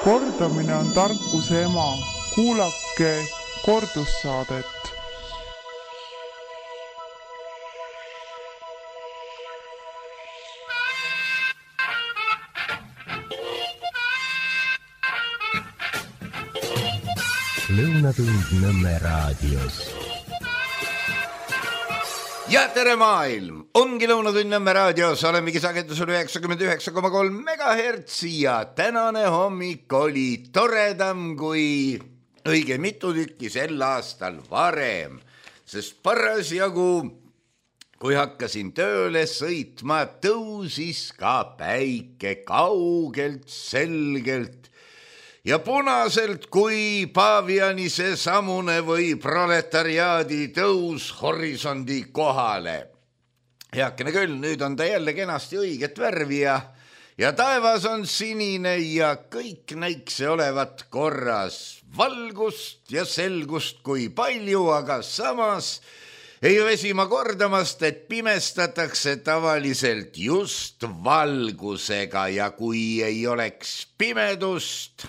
Kordamine on tarkuse ema. Kuulake kordussaadet. Lõunatund Nõmme raadios. Ja tere maailm! Ongi Lõunatund Nõmme raadios, olemegi sagedusel 99,3 MHz ja tänane hommik oli toredam kui õige mitu tükki sel aastal varem, sest parasjagu, kui hakkasin tööle sõitma, tõusis ka päike kaugelt, selgelt ja punaselt kui Pavianise samune või proletariaadi tõus horisondi kohale. Heakene küll, nüüd on ta jälle kenasti õiget värvi ja taevas on sinine ja kõik näikse olevat korras. Valgust ja selgust kui palju, aga samas ei väsi ma kordamast, et pimestatakse tavaliselt just valgusega ja kui ei oleks pimedust,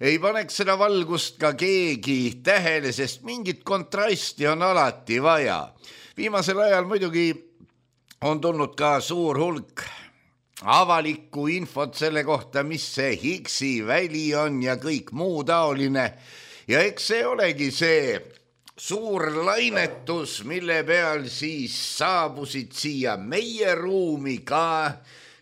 ei paneks seda valgust ka keegi tähele, sest mingit kontrasti on alati vaja. Viimasel ajal muidugi on tulnud ka suur hulk avalikku infot selle kohta, mis see Higgsi väli on ja kõik muu taoline. Ja eks see olegi see suur lainetus, mille peal siis saabusid siia meie ruumi ka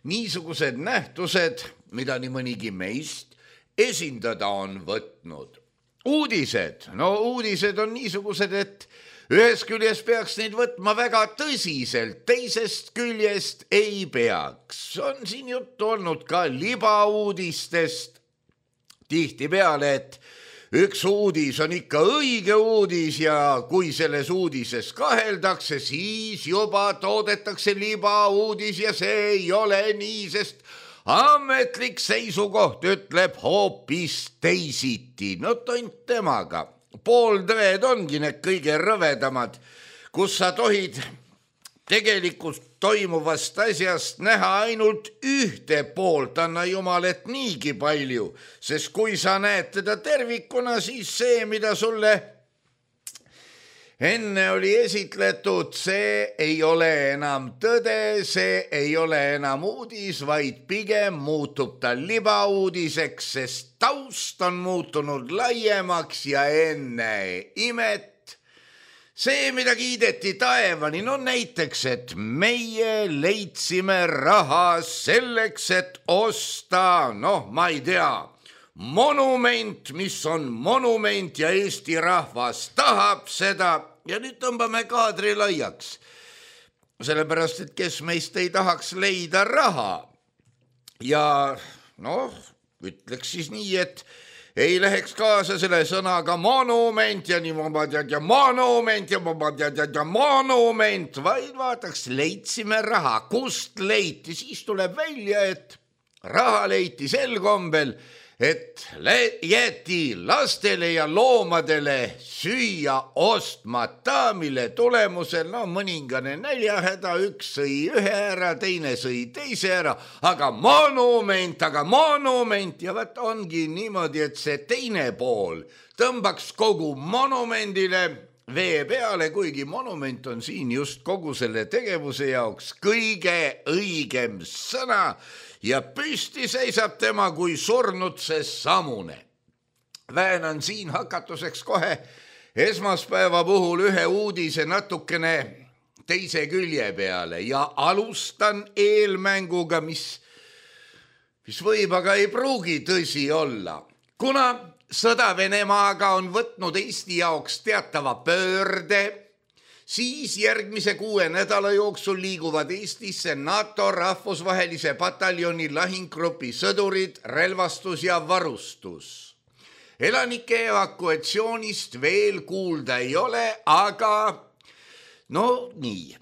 niisugused nähtused, mida nii mõnigi meist esindada on võtnud. Uudised. No uudised on niisugused, et ühest küljest peaks neid võtma väga tõsiselt, teisest küljest ei peaks. On siin juttu olnud ka libauudistest tihtipeale, et üks uudis on ikka õige uudis ja kui selles uudises kaheldakse, siis juba toodetakse libauudis ja see ei ole nii, sest ametlik seisukoht ütleb hoopis teisiti. No tont temaga. Pooltõed ongi need kõige rõvedamad, kus sa tohid tegelikult toimuvast asjast näha ainult ühte poolt, anna jumal, et niigi palju, sest kui sa näed teda tervikuna, siis see, mida sulle enne oli esitletud, see ei ole enam tõde, see ei ole enam uudis, vaid pigem muutub ta libauudiseks, sest taust on muutunud laiemaks ja enne imet. See, mida kiideti taevani, no näiteks, et meie leidsime raha selleks, et osta, ma ei tea, monument, mis on monument ja Eesti rahvas tahab seda. Ja nüüd tõmbame kaadri laiaks, sellepärast, et kes meist ei tahaks leida raha. Ja ütleks siis nii, et ei läheks kaasa selle sõnaga monument ja niimoodi ja monument ja monument, vaid vaataks, leidsime raha, kust leiti, siis tuleb välja, et raha leiti sel kombel, et jäeti lastele ja loomadele süüa ostmata, mille tulemusel mõningane näljahäda, üks sõi ühe ära, teine sõi teise ära, aga monument ja vaat ongi niimoodi, et see teine pool tõmbaks kogu monumendile vee peale, kuigi monument on siin just kogu selle tegevuse jaoks kõige õigem sõna ja püsti seisab tema kui surnud see samune. Väänan siin hakatuseks kohe esmaspäeva puhul ühe uudise natukene teise külje peale ja alustan eelmänguga, mis võib, aga ei pruugi tõsi olla. Kuna sõda Venemaaga on võtnud Eesti jaoks teatava pöörde, siis järgmise 6 nädala jooksul liiguvad Eestisse NATO rahvusvahelise pataljoni lahinggrupi sõdurid, relvastus ja varustus. Elanike evakuatsioonist veel kuulda ei ole, aga nii.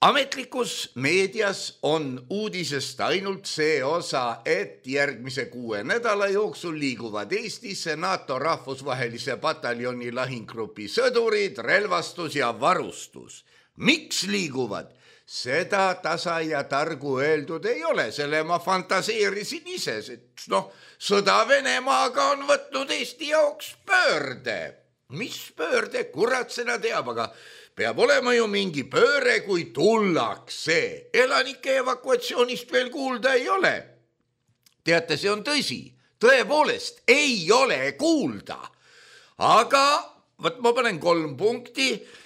Ametlikus meedias on uudisest ainult see osa, et järgmise 6 nädala jooksul liiguvad Eestisse NATO rahvusvahelise pataljoni lahinggrupi sõdurid, relvastus ja varustus. Miks liiguvad? Seda tasa ja targu öeldud ei ole, selle ma fantaseerisin ise, et sõda Venemaaga on võtnud Eesti jaoks pöörde. Mis pöörde, kurat seda teab, aga peab olema ju mingi pööre, kui tullakse. Elanike evakuatsioonist veel kuulda ei ole. Teate, see on tõsi, tõepoolest ei ole kuulda. Aga võt ma panen 3 punkti.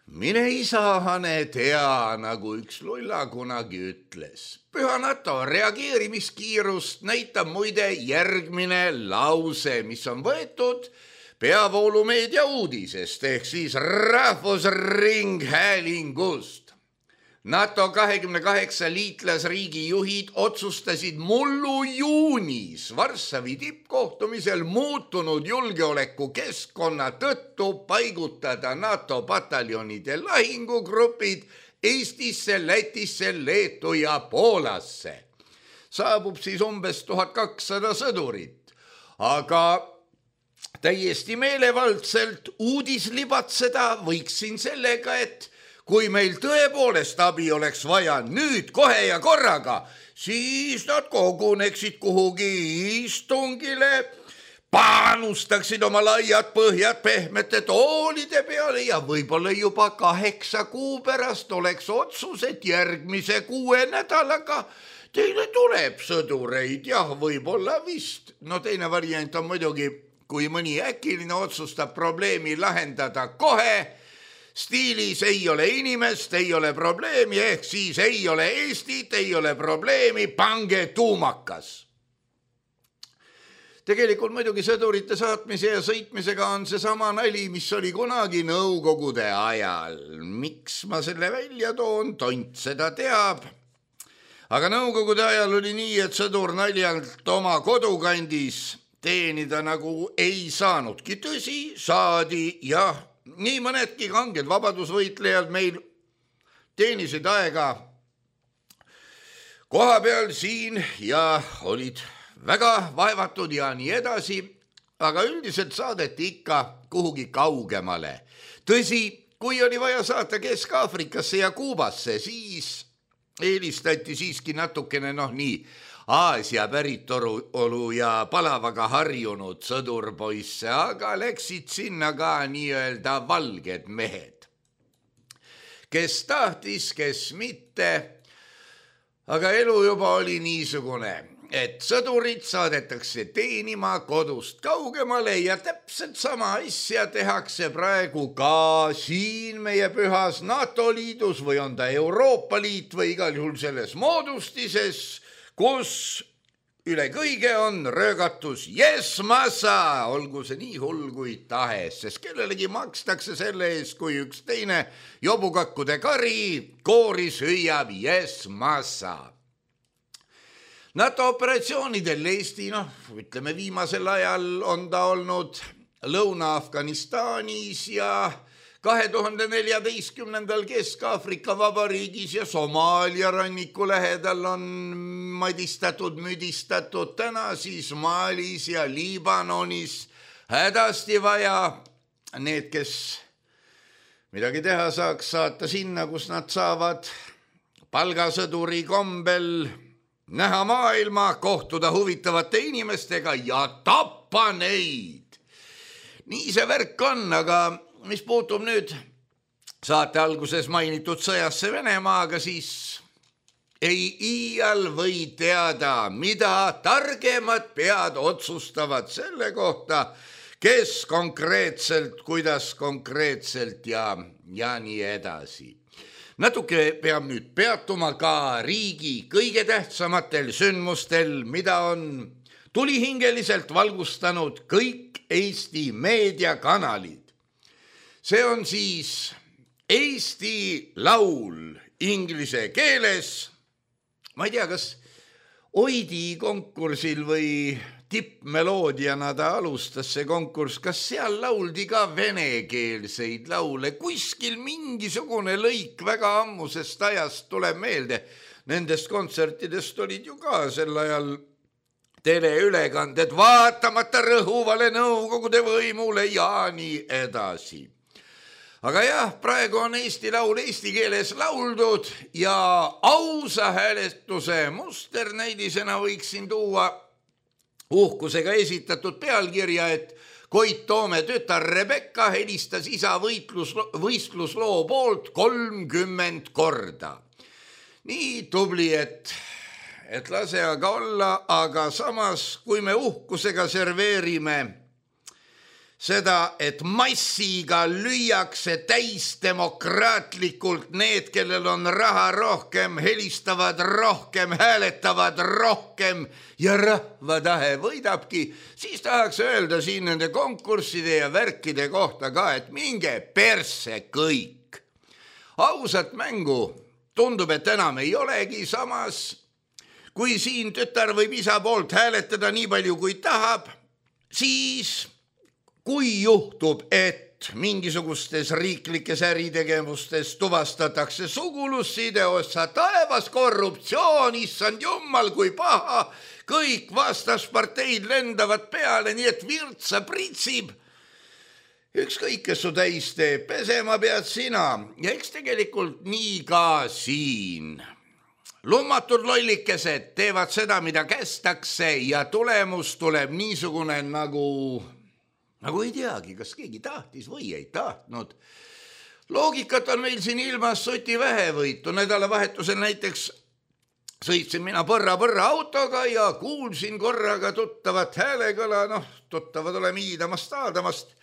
Mine isahane tea, nagu üks lulla kunagi ütles. Püha NATO reageerimiskiirust näitab muide järgmine lause, mis on võetud peavoolumeedia uudisest ehk siis Rahvusringhäälingust. NATO 28 liitlasriigi juhid otsustasid mullu juunis Varssavi tippkohtumisel muutunud julgeolekukeskkonna tõttu paigutada NATO pataljonide lahingugrupid Eestisse, Lätisse, Leetu ja Poolasse. Saabub siis umbes 1200 sõdurit, aga täiesti meelevaldselt uudislibatseda võiksin sellega, et kui meil tõepoolest abi oleks vaja nüüd kohe ja korraga, siis nad koguneksid kuhugi istungile, panustaksid oma laiad põhjad pehmete toolide peale ja võib-olla juba 8 kuu pärast oleks otsus, et järgmise 6 nädalaga teile tuleb sõdureid. Jah, võib-olla vist. Teine variant on muidugi, kui mõni äkiline otsustab probleemi lahendada kohe, stiilis ei ole inimest, ei ole probleemi, ehk siis ei ole Eestit, ei ole probleemi, pange tuumakas. Tegelikult muidugi sõdurite saatmise ja sõitmisega on see sama nali, mis oli kunagi nõukogude ajal. Miks ma selle välja toon, tont seda teab. Aga nõukogude ajal oli nii, et sõdur naljalt oma kodukandis teenida nagu ei saanudki. Tõsi, saadi, jah. Nii mõnedki kanged vabadusvõitlejad meil teenisid aega koha peal siin ja olid väga vaevatud ja nii edasi, aga üldiselt saadeti ikka kuhugi kaugemale. Tõsi, kui oli vaja saata Kesk-Aafrikasse ja Kuubasse, siis eelistati siiski natukene nii Aasia päritolu ja palavaga harjunud sõdurpoisse, aga läksid sinna ka nii-öelda valged mehed. Kes tahtis, kes mitte, aga elu juba oli niisugune, et sõdurid saadetakse teenima kodust kaugemale ja täpselt sama asja tehakse praegu ka siin meie pühas NATO liidus või on ta Euroopa Liit või igal juhul selles moodustises, kus üle kõige on röögatus yes massa, olgu see nii hull kui tahes, sest kellelegi makstakse selle eest, kui üks teine jobukakkude kari kooris hüüab yes massa. NATO operatsioonidel Eesti, ütleme viimasel ajal on ta olnud Lõuna-Afganistanis ja 2014. Kesk-Aafrika Vabariigis ja Somaalia ranniku lähedal on madistatud, müdistatud, täna siis Malis ja Liibanonis hädasti vaja need, kes midagi teha saaks, saata sinna, kus nad saavad palgasõduri kombel näha maailma, kohtuda huvitavate inimestega ja tappa neid. Nii see värk on, aga mis puutub nüüd saate alguses mainitud sõjasse Venemaaga, siis ei iial või teada, mida targemad pead otsustavad selle kohta, kes konkreetselt, kuidas konkreetselt ja nii edasi. Natuke peab nüüd peatuma ka riigi kõige tähtsamatel sündmustel, mida on tulihingeliselt valgustanud kõik Eesti meediakanalid. See on siis Eesti Laul inglise keeles. Ma ei tea, kas Oidi konkursil või tippmeloodiana ta alustas see konkurss, kas seal lauldi ka venekeelseid laule, kuskil mingisugune lõik väga ammusest ajast tuleb meelde. Nendest kontsertidest olid ju ka sel ajal teleülekanded, vaatamata rõhuvale Nõukogude võimule ja nii edasi. Aga jah, praegu on Eesti laul eesti keeles lauldud ja ausa hääletuse musternäidisena võiksin tuua uhkusega esitatud pealkirja, et Koit Toome tütar Rebecca helistas isa võistlusloo poolt 30 korda. Nii tubli, et lase aga olla, aga samas, kui me uhkusega serveerime seda, et massiga lüüakse täis demokraatlikult need, kellel on raha rohkem, helistavad rohkem, hääletavad rohkem ja rahva tahe võidabki, siis tahaks öelda siin nende konkursside ja värkide kohta ka, et minge persse kõik. Ausat mängu tundub, et enam ei olegi, samas kui siin tütar võib isa poolt hääletada nii palju kui tahab, siis kui juhtub, et mingisugustes riiklikes äritegevustes tuvastatakse sugulusside osa taevas korruptsioon, issand jummal kui paha, kõik vastasparteid lendavad peale, nii et virtsa pritsib. Ükskõik, kes su täis teeb, pesema pead sina ja eks tegelikult nii ka siin. Lummatud lollikesed teevad seda, mida kästakse ja tulemus tuleb niisugune nagu ei teagi, kas keegi tahtis või ei tahtnud. Loogikat on meil siin ilmas soti vähevõitu. Nädalavahetusel näiteks sõitsin mina põrra autoga ja kuulsin korraga tuttavat häälegõla, tuttavad oleme iidamast aadamast.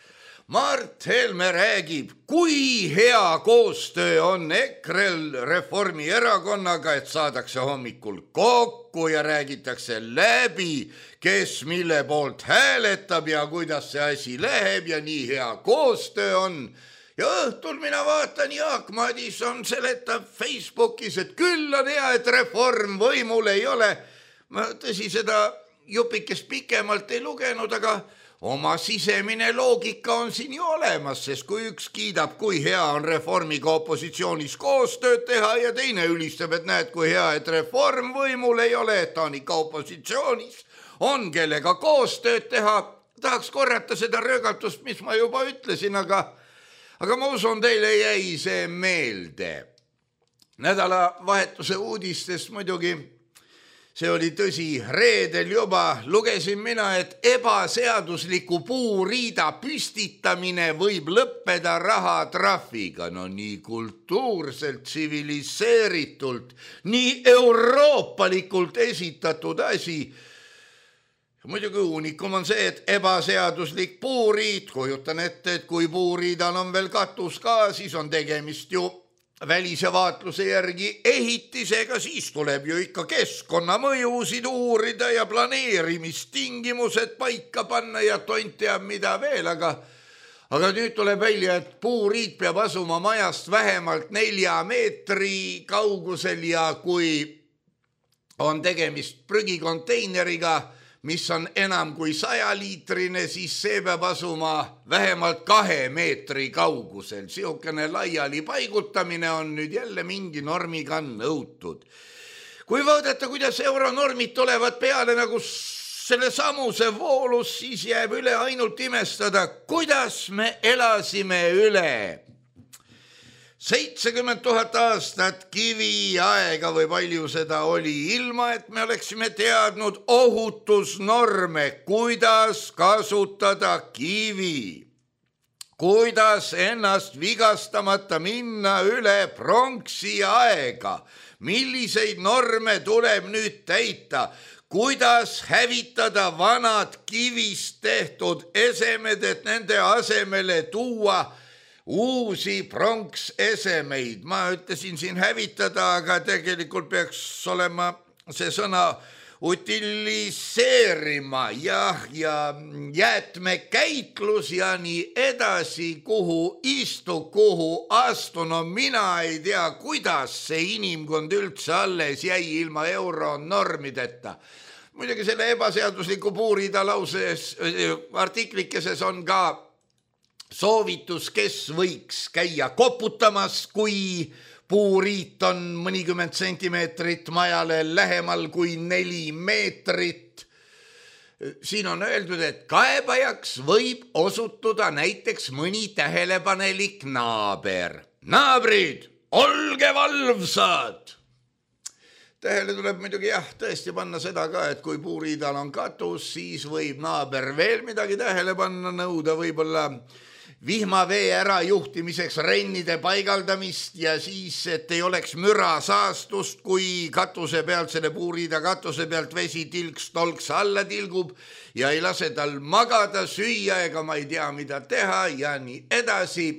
Mart Helme räägib, kui hea koostöö on EKRE-l Reformierakonnaga, et saadakse hommikul kokku ja räägitakse läbi, kes mille poolt hääletab ja kuidas see asi läheb ja nii hea koostöö on. Ja õhtul mina vaatan, Jaak Madison seletab Facebookis, et küll on hea, et Reform võimul ei ole. Ma tõsi seda jupikest pikemalt ei lugenud, aga oma sisemine loogika on siin ju olemas, sest kui üks kiidab, kui hea on Reformiga opositsioonis koostööd teha ja teine ülistab, et näed, kui hea, et Reform võimul ei ole, et ta on ikka opositsioonis, on kellega koostööd teha. Tahaks korrata seda röögatust, mis ma juba ütlesin, aga ma usun, teile jäi see meelde. Nädalavahetuse uudistest muidugi, see oli tõsi, reedel juba lugesin mina, et ebaseadusliku puuriida püstitamine võib lõppeda rahatrahviga. No nii kultuurselt, tsiviliseeritult, nii euroopalikult esitatud asi. Muidugi unikum on see, et ebaseaduslik puuriid, kujutan ette, et kui puuriidal on veel katus ka, siis on tegemist ju välise vaatluse järgi ehitisega, siis tuleb ju ikka keskkonnamõjusid uurida ja planeerimistingimused paika panna ja tont teab mida veel, aga nüüd tuleb välja, et puuriid peab asuma majast vähemalt 4 meetri kaugusel ja kui on tegemist prügikonteineriga, mis on enam kui 100-liitrine, siis see peab asuma vähemalt 2 meetri kaugusel. Siukene laiali paigutamine on nüüd jälle mingi normiga nõutud. Kui vaadata, kuidas euronormid tulevad peale nagu selle samuse voolus, siis jääb üle ainult imestada, kuidas me elasime üle 70 000 aastat kiviaega või palju seda oli, ilma et me oleksime teadnud ohutusnorme, kuidas kasutada kivi, kuidas ennast vigastamata minna üle pronksi aega, milliseid norme tuleb nüüd täita, kuidas hävitada vanad kivist tehtud esemed, et nende asemele tuua uusi pronksesemeid. Ma ütlesin siin hävitada, aga tegelikult peaks olema see sõna utiliseerima ja jäätmekäitlus ja nii edasi, kuhu astu. No mina ei tea, kuidas see inimkond üldse alles jäi ilma euronormideta. Muidugi selle ebaseadusliku puurida lauses artiklikeses on ka soovitus, kes võiks käia koputamas, kui puuriit on mõnikümmend sentimeetrit majale lähemal kui 4 meetrit. siin on öeldud, et kaebajaks võib osutuda näiteks mõni tähelepanelik naaber. Naabrid, olge valvsad! Tähele tuleb muidugi tõesti panna seda ka, et kui puuriidal on katus, siis võib naaber veel midagi tähele panna, nõuda võib-olla vihmavee ära juhtimiseks rennide paigaldamist ja siis, et ei oleks müra saastust, kui katuse pealt, selle puuriida katuse pealt vesi tilks-tolks alla tilgub ja ei lase tal magada, süüa ega ma ei tea, mida teha ja nii edasi.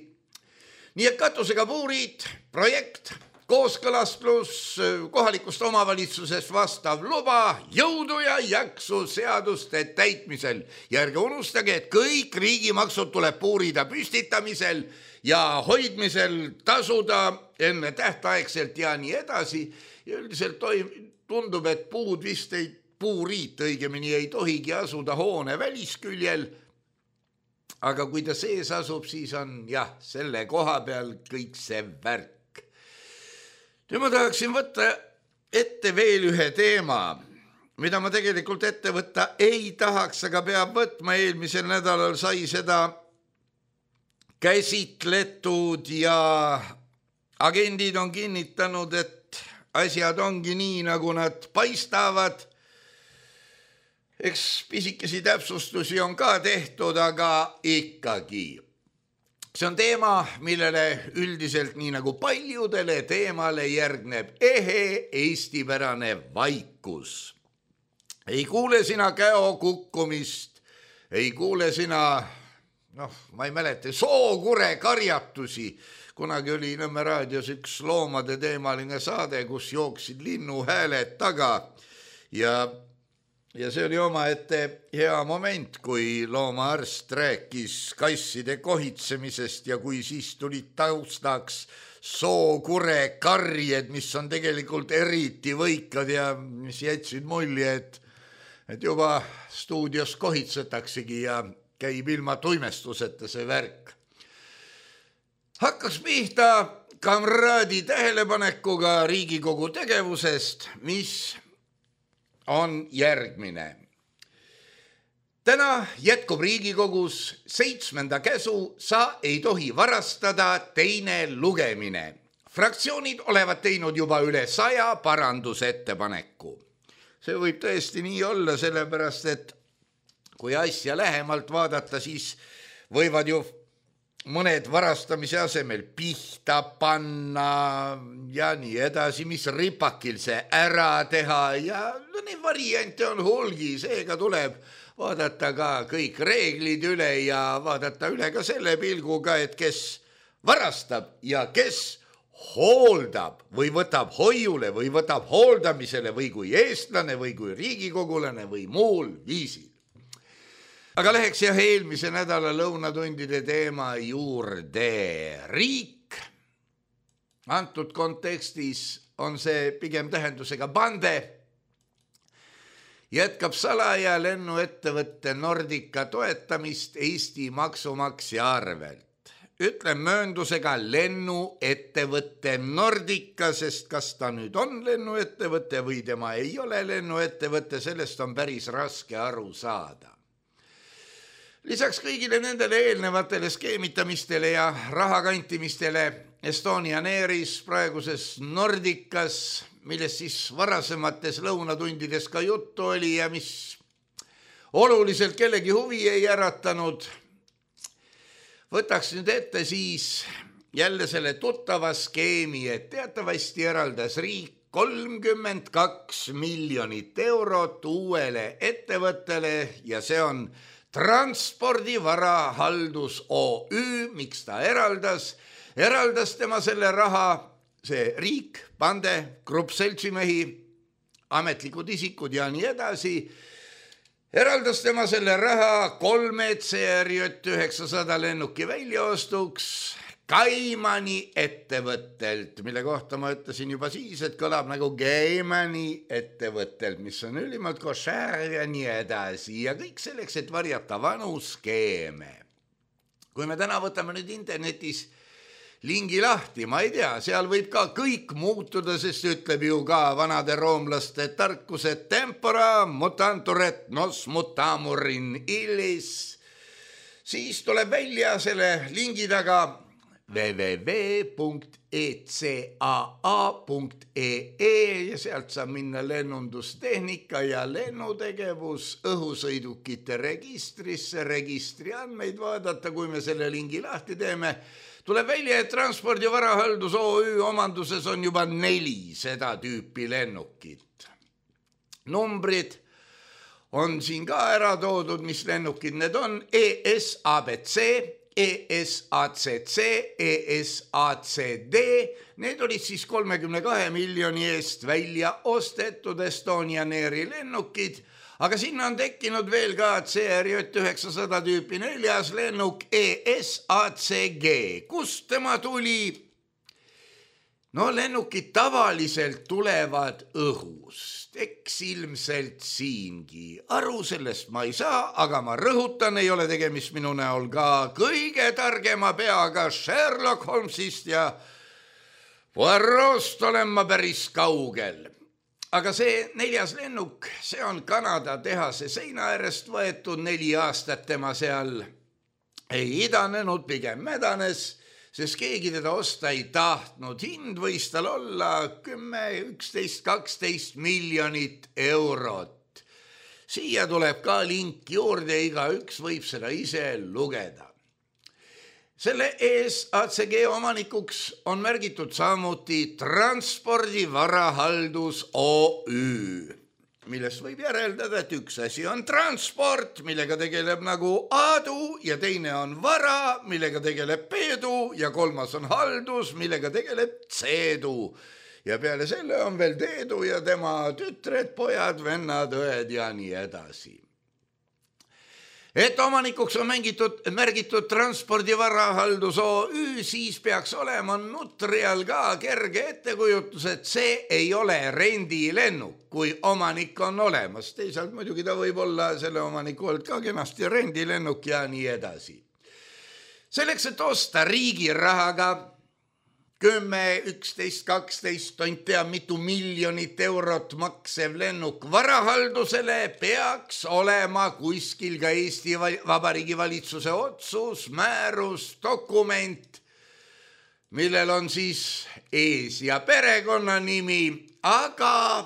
Nii et katusega puuriid, projekt, kooskõlas pluss kohalikust omavalitsusest vastav luba, jõudu ja jaksu seaduste täitmisel. Ja ärge unustage, et kõik riigimaksud tuleb puuriida püstitamisel ja hoidmisel tasuda enne tähtaegselt ja nii edasi. Ja üldiselt tundub, et puuriit õigemini ei tohigi asuda hoone välisküljel. Aga kui ta sees asub, siis on selle koha peal kõik see värk. Nüüd ma tahaksin võtta ette veel ühe teema, mida ma tegelikult ette võtta ei tahaks, aga peab võtma. Eelmisel nädalal sai seda käsitletud ja agendid on kinnitanud, et asjad ongi nii, nagu nad paistavad. Eks pisikesi täpsustusi on ka tehtud, aga ikkagi. See on teema, millele üldiselt nii nagu paljudele teemale järgneb ehe eestipärane vaikus. Ei kuule sina käo kukkumist, ei kuule sina, ma ei mäleta, sookure karjatusi. Kunagi oli Nõmme raadios üks loomade teemaline saade, kus jooksid linnuhääled taga ja see oli omaette hea moment, kui loomaarst rääkis kasside kohitsemisest ja kui siis tulid taustaks sookure karjed, mis on tegelikult eriti võikad ja mis jätsid mulje, et juba stuudios kohitsetaksegi ja käib ilma tuimestuseta see värk. Hakkas pihta kamraadi tähelepanekuga Riigikogu tegevusest, mis on järgmine. Täna jätkub Riigikogus 7. käsu sa ei tohi varastada teine lugemine. Fraktsioonid olevat teinud juba üle 100 parandusettepaneku. See võib tõesti nii olla, sellepärast, et kui asja lähemalt vaadata, siis võivad ju mõned varastamise asemel pihta panna ja nii edasi, mis ripakil see ära teha ja neid variante on hulgi, seega tuleb vaadata ka kõik reeglid üle ja vaadata üle ka selle pilguga, et kes varastab ja kes hooldab või võtab hoiule või võtab hooldamisele või kui eestlane või kui riigikogulane või muul viisil. Aga läheks eelmise nädala lõunatundide teema juurde. Riik, antud kontekstis on see pigem tähendusega bande, jätkab salaja lennuettevõtte Nordica toetamist Eesti maksumaksja arvelt. Ütlen mööndusega lennuettevõtte Nordica, sest kas ta nüüd on lennuettevõtte või tema ei ole lennuettevõtte, sellest on päris raske aru saada. Lisaks kõigile nendele eelnevatele skeemitamistele ja rahakantimistele Estonian Airis, praeguses Nordicas, millest siis varasemates lõunatundides ka juttu oli ja mis oluliselt kellegi huvi ei äratanud, võtaks nüüd ette siis jälle selle tuttava skeemi, et teatavasti eraldas riik 32 miljonit eurot uuele ettevõttele ja see on Transpordivarahaldus OÜ, miks ta eraldas tema selle raha, see riik, bande, grupp seltsimehi, ametlikud isikud ja nii edasi, eraldas tema selle raha 3 CRJ900 lennuki väljaostuks Kaimani ettevõttelt, mille kohta ma ütlesin juba siis, et kõlab nagu Kaimani ettevõttelt, mis on ülimalt košär ja nii edasi ja kõik selleks, et varjata vanu skeeme. Kui me täna võtame nüüd internetis lingi lahti, ma ei tea, seal võib ka kõik muutuda, sest ütleb ju ka vanade roomlaste tarkus, et tempora mutantur et nos mutamur in illis. Siis tuleb välja selle lingi taga www.eca.ee ja sealt saab minna lennundustehnika ja lennutegevus õhusõidukite registrisse, registri andmeid vaadata, kui me selle lingi lahti teeme. Tuleb välja, et Transpordi Varahaldus OÜ omanduses on juba 4 seda tüüpi lennukit. Numbrid on siin ka ära toodud, mis lennukid need on. ESABC, ESACC, ESACD, need olid siis 32 miljoni eest välja ostetud Estonian Airi lennukid, aga sinna on tekkinud veel ka CRJ 900 tüüpi 4. lennuk ESACG. Kust tema tuli? No lennukid tavaliselt tulevad õhust, eks ilmselt siingi. Aru sellest ma ei saa, aga ma rõhutan, ei ole tegemist minu näol ka kõige targema peaga Sherlock Holmesist ja Poirot'st olen ma päris kaugel. Aga see 4. lennuk, see on Kanada tehase seina äärest võetud, 4 aastat tema seal ei idanenud, pigem mädanes, sest keegi teda osta ei tahtnud. Hind võis tal olla 10, 11, 12 miljonit eurot. Siia tuleb ka link juurde, igaüks võib seda ise lugeda. Selle ESACG omanikuks on märgitud samuti Transpordi Varahaldus OÜ, millest võib järeldada, et üks asi on transport, millega tegeleb nagu Aadu, ja teine on vara, millega tegeleb Peedu, ja 3. on haldus, millega tegeleb Ceedu. Ja peale selle on veel Teedu ja tema tütred, pojad, vennad, õed ja nii edasi. Et omanikuks on märgitud Transpordi Varahaldus OÜ, siis peaks olema nutrial ka kerge ettekujutus, et see ei ole rendilennuk, kui omanik on olemas. Teisalt muidugi ta võib olla selle omaniku olnud ka kenasti rendilennuk ja nii edasi. Selleks, et osta riigi rahaga 10, 11, 12, tont teab mitu miljonit eurot maksev lennuk varahaldusele, peaks olema kuskil ka Eesti Vabariigi valitsuse otsus, määrus, dokument, millel on siis ees ja perekonnanimi, aga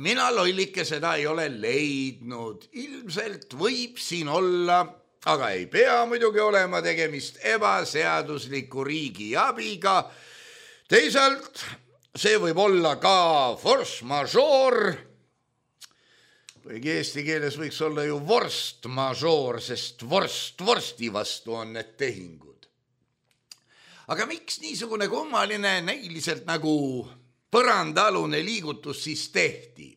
mina lollike seda ei ole leidnud. Ilmselt võib siin olla, aga ei pea muidugi olema tegemist ebaseadusliku riigi abiga. Teisalt see võib olla ka force majeure, kuigi eesti keeles võiks olla ju vorst majeure, sest vorsti vastu on need tehingud. Aga miks niisugune kummaline näiliselt nagu põrandaalune liigutus siis tehti?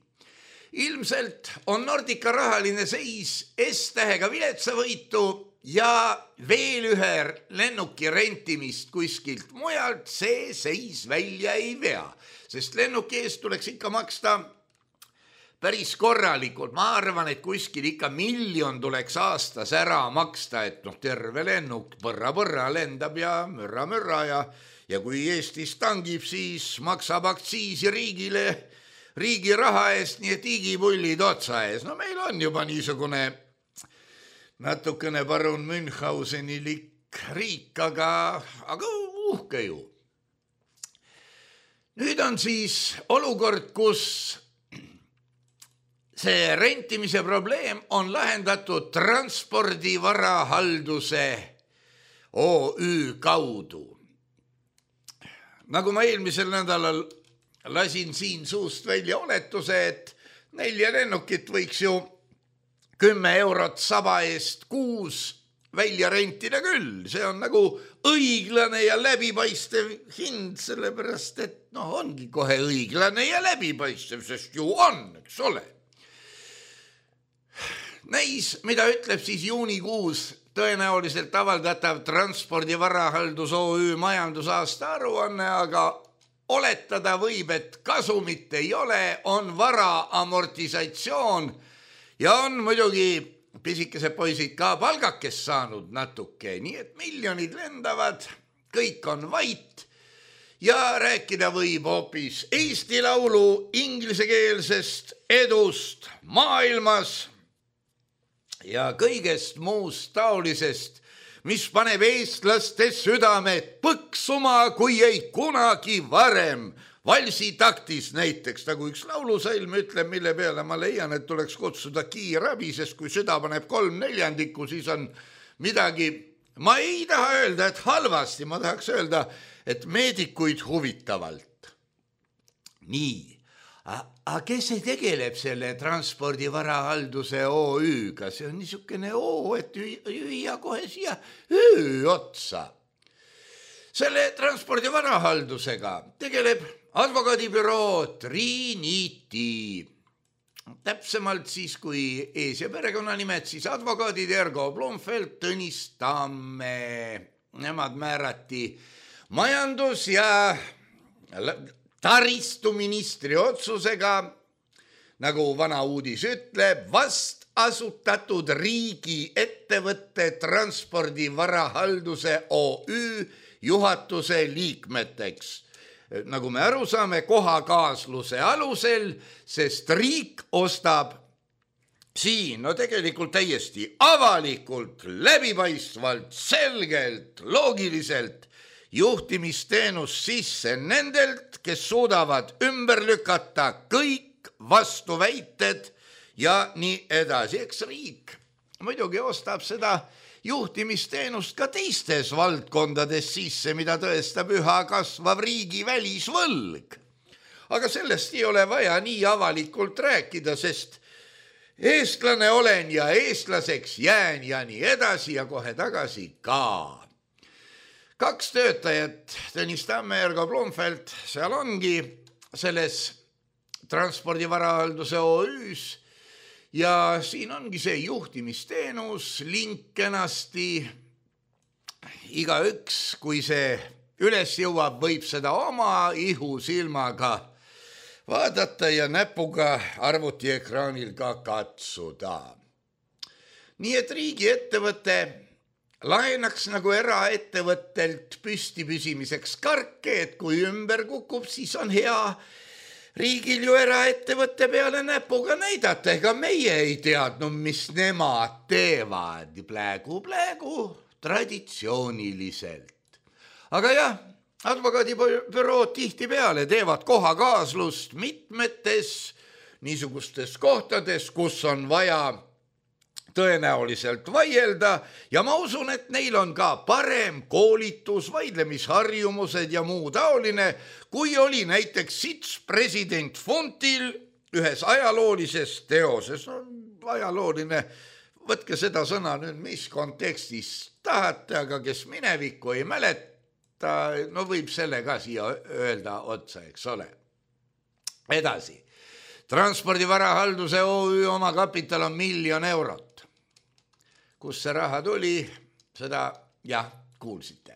Ilmselt on Nordica rahaline seis S-tähega viletsavõitu ja veel ühe lennuki rentimist kuskilt mujalt see seis välja ei vea, sest lennuki eest tuleks ikka maksta päris korralikult. Ma arvan, et kuskil ikka 1 miljon tuleks aastas ära maksta, et terve lennuk põrra lendab ja mürra ja kui Eestis tangib, siis maksab aktsiisi riigile riigi raha eest, nii et igipullid otsa ees. No meil on juba niisugune natukene parun Münchhausenilik riik, aga uhke ju. Nüüd on siis olukord, kus see rentimise probleem on lahendatud Transpordi Varahalduse OÜ kaudu. Nagu ma eelmisel nädalal lasin siin suust välja oletuse, et 4 lennukit võiks ju 10 eurot saba eest kuus välja rentida küll. See on nagu õiglane ja läbipaistev hind, sellepärast et ongi kohe õiglane ja läbipaistev, sest ju on, eks ole. Näis, mida ütleb siis juunikuus tõenäoliselt avaldatav Transpordi Varahaldus OÜ majandusaasta aruanne, aga oletada võib, et kasumit ei ole, on vara amortisatsioon ja on muidugi pisikesed poisid ka palgakest saanud natuke, nii et miljonid lendavad, kõik on vait ja rääkida võib hoopis Eesti Laulu inglisekeelsest edust maailmas ja kõigest muust taolisest, mis paneb eestlaste südamed põksuma, kui ei kunagi varem. Valsi taktis näiteks, nagu üks laulusalm ütleb, mille peale ma leian, et tuleks kutsuda kiirabi, sest kui süda paneb 3/4, siis on midagi, ma ei taha öelda, et halvasti, ma tahaks öelda, et meedikuid huvitavalt. Nii, aga kes see tegeleb selle transpordivarahalduse OÜ-ga? See on niisugune O, et hüüa kohe siia Ö otsa. Selle transpordivarahaldusega tegeleb advokaadibüroo Trinity. Täpsemalt siis, kui ees- ja perekonnanimed, siis advokaadid Ergo Blomfeld, Tõnis Tamme. Nemad määrati majandus- ja taristuministri otsusega, nagu vana uudis ütleb, vast asutatud riigi ettevõtte transpordivarahalduse OÜ juhatuse liikmeteks. Nagu me aru saame, kohakaasluse alusel, sest riik ostab siin, no tegelikult täiesti avalikult, läbipaistvalt, selgelt, loogiliselt juhtimisteenus sisse nendelt, kes suudavad ümber lükata kõik vastuväited ja nii edasi. Eks riik muidugi ostab seda juhtimisteenust ka teistes valdkondades sisse, mida tõestab üha kasvav riigi välisvõlg. Aga sellest ei ole vaja nii avalikult rääkida, sest eestlane olen ja eestlaseks jään ja nii edasi ja kohe tagasi ka. 2 töötajat, Tõnis Tamme ja Ergo Blomfeld, seal ongi selles transpordivarahalduse OÜs ja siin ongi see juhtimisteenus, link kenasti. Igaüks, kui see üles jõuab, võib seda oma ihusilmaga vaadata ja näpuga arvutiekraanil ka katsuda. Nii et riigiettevõte laenaks nagu eraettevõttelt püsti püsimiseks karke, et kui ümber kukub, siis on hea riigil ju eraettevõtte peale näpuga näidata. Ega meie ei teadnud, mis nemad teevad plägu traditsiooniliselt. Aga jah, advokaadibürood tihtipeale teevad kohakaaslust mitmetes niisugustes kohtades, kus on vaja tõenäoliselt vaielda ja ma usun, et neil on ka parem koolitus, vaidlemisharjumused ja muu taoline, kui oli näiteks sits president Fontil ühes ajaloolises teoses. No, ajalooline, võtke seda sõna nüüd, mis kontekstis tahate, aga kes minevikku ei mäleta, no võib selle ka siia öelda otsa, eks ole. Edasi. Transpordivarahalduse OÜ oma kapital on 1 000 000 eurot. Kus see raha tuli, seda jah, kuulsite.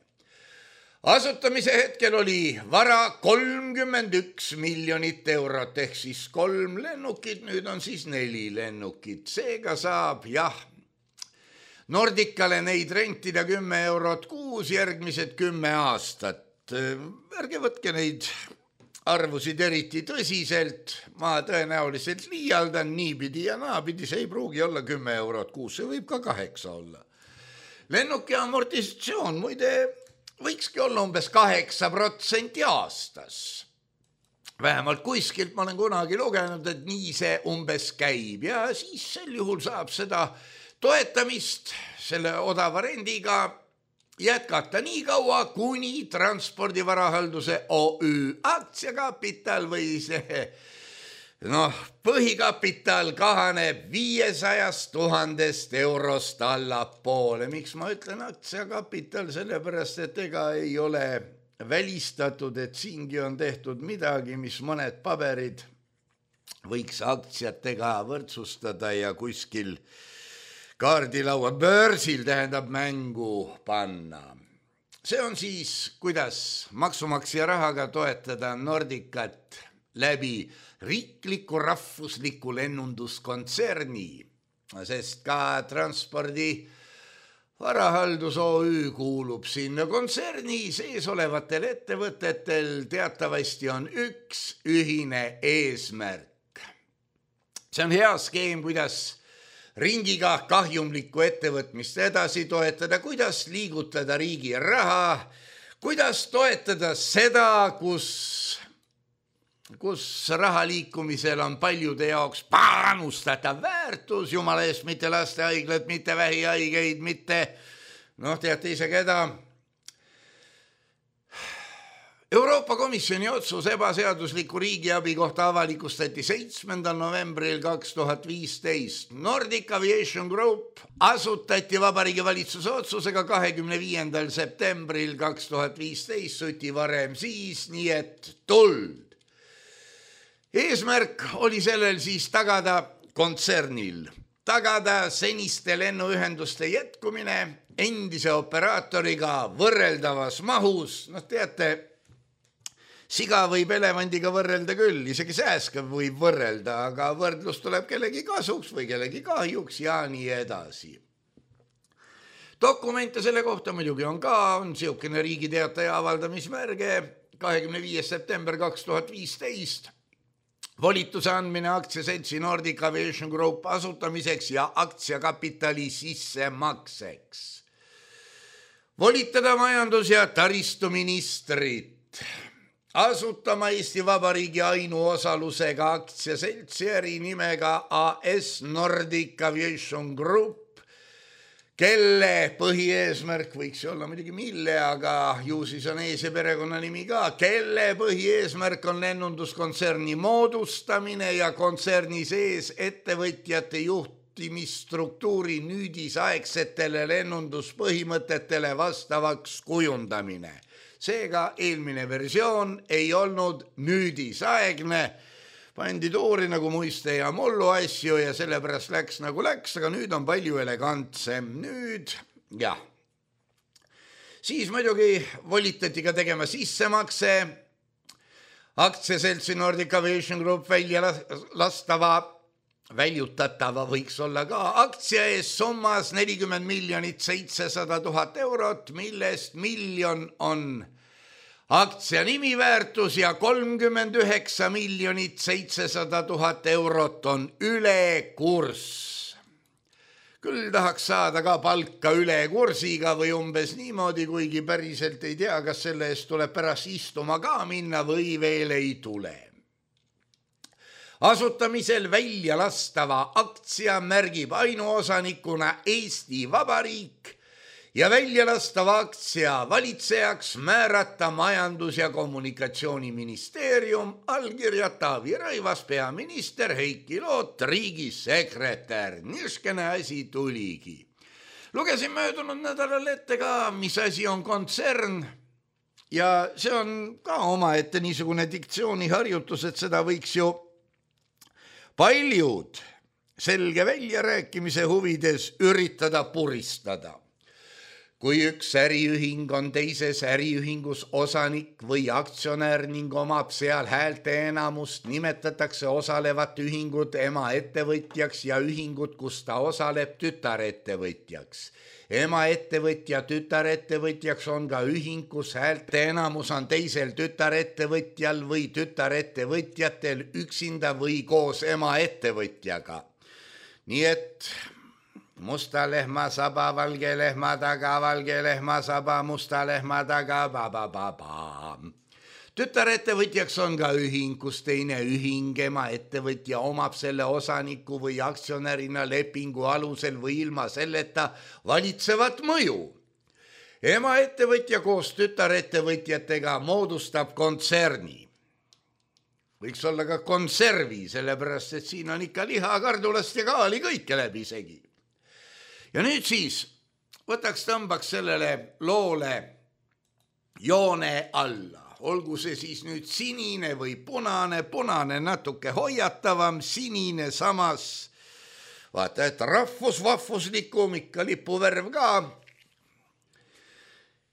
Asutamise hetkel oli vara 31 miljonit eurot, ehk siis 3 lennukit, nüüd on siis 4 lennukit. Seega saab jah, Nordicale neid rentida 10 eurot kuus järgmised 10 aastat. Ärge võtke neid arvusid eriti tõsiselt, ma tõenäoliselt liialdan niipidi ja naapidi, see ei pruugi olla 10 eurot kuus, see võib ka 8 olla. Lennuki amortisatsioon muide võikski olla umbes 8% aastas. Vähemalt kuskilt ma olen kunagi lugenud, et nii see umbes käib ja siis sel juhul saab seda toetamist selle odava rendiga jätkata nii kaua, kuni transpordivarahalduse OÜ aktsiakapital või see põhikapital kahaneb 500 000 eurost allapoole. Miks ma ütlen aktsiakapital? Sellepärast, et ega ei ole välistatud, et siingi on tehtud midagi, mis mõned paberid võiks aktsiatega võrdsustada ja kuskil kaardilaua börsil tähendab mängu panna. See on siis, kuidas maksumaksja rahaga toetada Nordicat läbi riikliku rahvusliku lennunduskontserni, sest ka transpordi Varahaldus OÜ kuulub sinna kontserni sees olevatel ettevõtetel teatavasti on üks ühine eesmärk. See on hea skeem, kuidas ringiga kahjumlikku ettevõtmist edasi toetada, kuidas liigutada riigi raha, kuidas toetada seda, kus raha liikumisel on paljude jaoks panustatav väärtus, jumala eest, mitte lastehaiglat, mitte vähihaigeid, mitte, teate ise keda. Euroopa Komisjoni otsus ebaseadusliku riigiabi kohta avalikustati 7. novembril 2015. Nordic Aviation Group asutati Vabariigi Valitsuse otsusega 25. septembril 2015, suti varem siis, nii et tuld. Eesmärk oli sellel siis tagada seniste lennuühenduste jätkumine endise operaatoriga võrreldavas mahus. Teate, siga võib elevandiga võrrelda küll, isegi sääskav võib võrrelda, aga võrdlus tuleb kellegi kasuks või kellegi kahjuks ja nii edasi. Dokumente selle kohta muidugi on siukene Riigi Teataja avaldamismärge 25. september 2015. Volituse andmine aktsiaseltsi Nordic Aviation Group asutamiseks ja aktsiakapitali sissemakseks. Volitada majandus- ja taristuministrit asutama Eesti Vabariigi ainuosalusega aktsiaseltsi ärinimega AS Nordic Aviation Group, kelle põhieesmärk võiks olla muidugi mille, aga ju siis on ees- ja perekonnanimi ka, kelle põhieesmärk on lennunduskontserni moodustamine ja kontserni sees ettevõtjate juhtimisstruktuuri nüüdisaegsetele lennunduspõhimõtetele vastavaks kujundamine. Seega eelmine versioon ei olnud nüüdisaegne, pandi toori nagu muiste ja mollu asju ja sellepärast läks nagu läks, aga nüüd on palju elegantsem. Siis muidugi volitati ka tegema sissemakse aktsiaseltsi Nordic Aviation Group väljutatava võiks olla ka aktsia ees summas 40 700 000 eurot, millest 1 miljon on aktsia nimiväärtus ja 39 700 000 eurot on ülekurss. Küll tahaks saada ka palka ülekursiga või umbes niimoodi, kuigi päriselt ei tea, kas selle eest tuleb pärast istuma ka minna või veel ei tule. Asutamisel välja lastava aktsia märgib ainuosanikuna Eesti Vabariik ja välja lastava aktsia valitsejaks määrata Majandus- ja Kommunikatsiooniministeerium, allkirja Taavi Rõivas, peaminister, Heiki Loot, riigisekretär. Niiskene asi tuligi. Lugesin möödunud nädalal ette ka, mis asi on kontsern ja see on ka omaette niisugune diktsiooniharjutus, et seda võiks ju paljud selge väljarääkimise huvides üritada puristada. Kui üks äriühing on teises äriühingus osanik või aktsionär ning omab seal häälte enamust, nimetatakse osalevat ühingut emaettevõtjaks ja ühingut, kus ta osaleb, tütarettevõtjaks. Emaettevõtja tütarettevõtjaks on ka ühing, kus häälte enamus on teisel tütarettevõtjal või tütarettevõtjatel üksinda või koos emaettevõtjaga. Nii et musta lehma saba, valge lehma taga, valge lehma saba, musta lehma taga, ba-ba-ba-ba. Tütarettevõtjaks on ka ühing, kus teine ühing, emaettevõtja omab selle osaniku või aktsionärina lepingu alusel või ilma selleta valitsevat mõju. Emaettevõtja koos tütarettevõtjatega moodustab kontserni. Võiks olla ka konservi, sellepärast et siin on ikka liha, kardulast ja kaali kõike läbi segi. Ja nüüd siis tõmbaks sellele loole joone alla. Olgu see siis nüüd sinine või punane natuke hoiatavam, sinine samas, vaata, et rahvuslikum, ikka lipuvärv ka.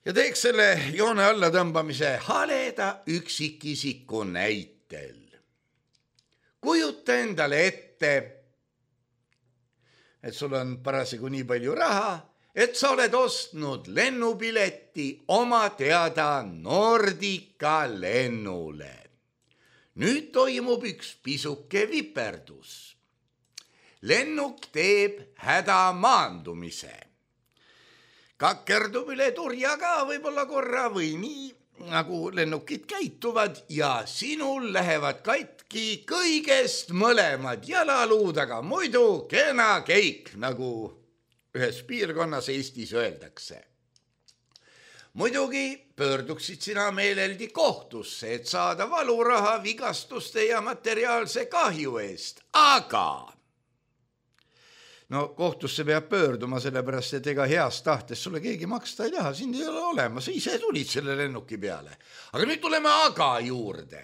Ja teeks selle joone alla tõmbamise haleda üksikisiku näitel. Kujuta endale ette, et sul on parasjagu nii palju raha, et sa oled ostnud lennupileti oma teada Nordica lennule. Nüüd toimub üks pisuke viperdus. Lennuk teeb hädamaandumise. Kakerdub üle turja ka võib-olla korra või nii, nagu lennukid käituvad ja sinul lähevad katki kõigest mõlemad jalaluud, aga muidu kena keik, nagu ühes piirkonnas Eestis öeldakse. Muidugi pöörduksid sina meeleldi kohtusse, et saada valuraha vigastuste ja materiaalse kahju eest, aga no kohtusse peab pöörduma, sellepärast, et ega heast tahtes sulle keegi maksta ei taha, sind ei ole olemas, sa ise tulid selle lennuki peale. Aga nüüd tuleme aga juurde.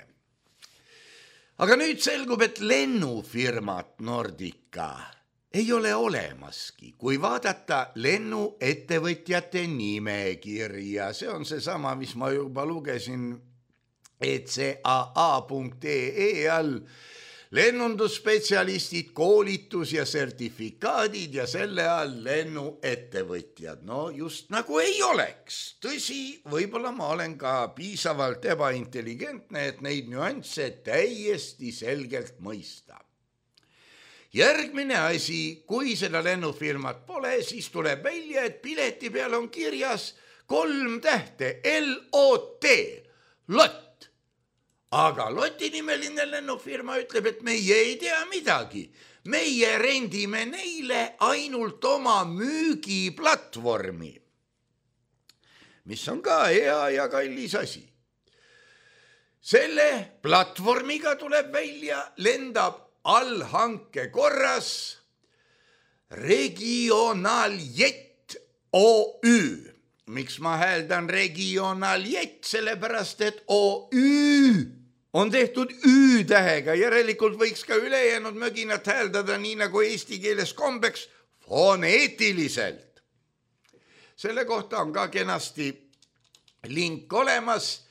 Aga nüüd selgub, et lennufirmat Nordica ei ole olemaski, kui vaadata lennuettevõtjate nimekirja. See on seesama, mis ma juba lugesin ECAA.ee all. Lennundusspetsialistid, koolitus ja sertifikaadid ja selle all lennuettevõtjad. No just nagu ei oleks. Tõsi, võib-olla ma olen ka piisavalt ebaintelligentne, et neid nüansse täiesti selgelt mõista. Järgmine asi, kui seda lennufirmat pole, siis tuleb välja, et pileti peal on kirjas 3 tähte LOT, LOT. Aga Loti nimeline lennufirma ütleb, et meie ei tea midagi. Meie rendime neile ainult oma müügiplatvormi, mis on ka hea ja kallis asi. Selle platvormiga tuleb välja, lendab allhanke korras Regionaljet OÜ. Miks ma hääldan Regionaljet? Sellepärast, et OÜ on tehtud Ü-tähega, järelikult võiks ka ülejäänud möginat hääldada nii nagu eesti keeles kombeks foneetiliselt. Selle kohta on ka kenasti link olemas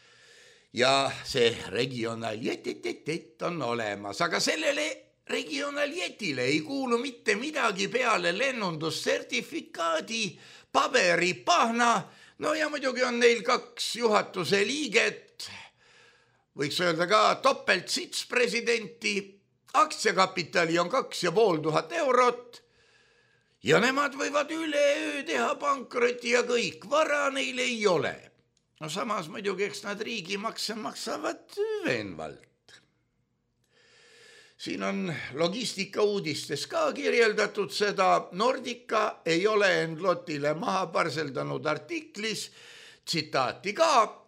ja see Regionaljet on olemas, aga sellele Regionaljetile ei kuulu mitte midagi peale lennundussertifikaadi, paberipahna, no ja muidugi on neil 2 juhatuse liiget, võiks öelda ka topelt sits presidenti, aktsiakapitali on 2500 eurot ja nemad võivad üleöö teha pankroti ja kõik, vara neil ei ole. No samas muidugi, eks nad riigimakse maksavad veenvalt. Siin on logistika uudistes ka kirjeldatud seda, Nordica ei ole end Lotile maha parseldanud artiklis, tsitaati ka,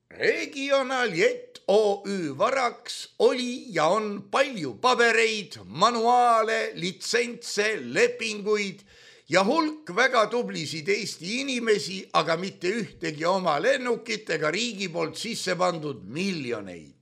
Regionaljet OÜ varaks oli ja on palju pabereid, manuaale, litsentse, lepinguid ja hulk väga tublisid Eesti inimesi, aga mitte ühtegi oma lennukit ega riigi poolt sisse pandud miljoneid.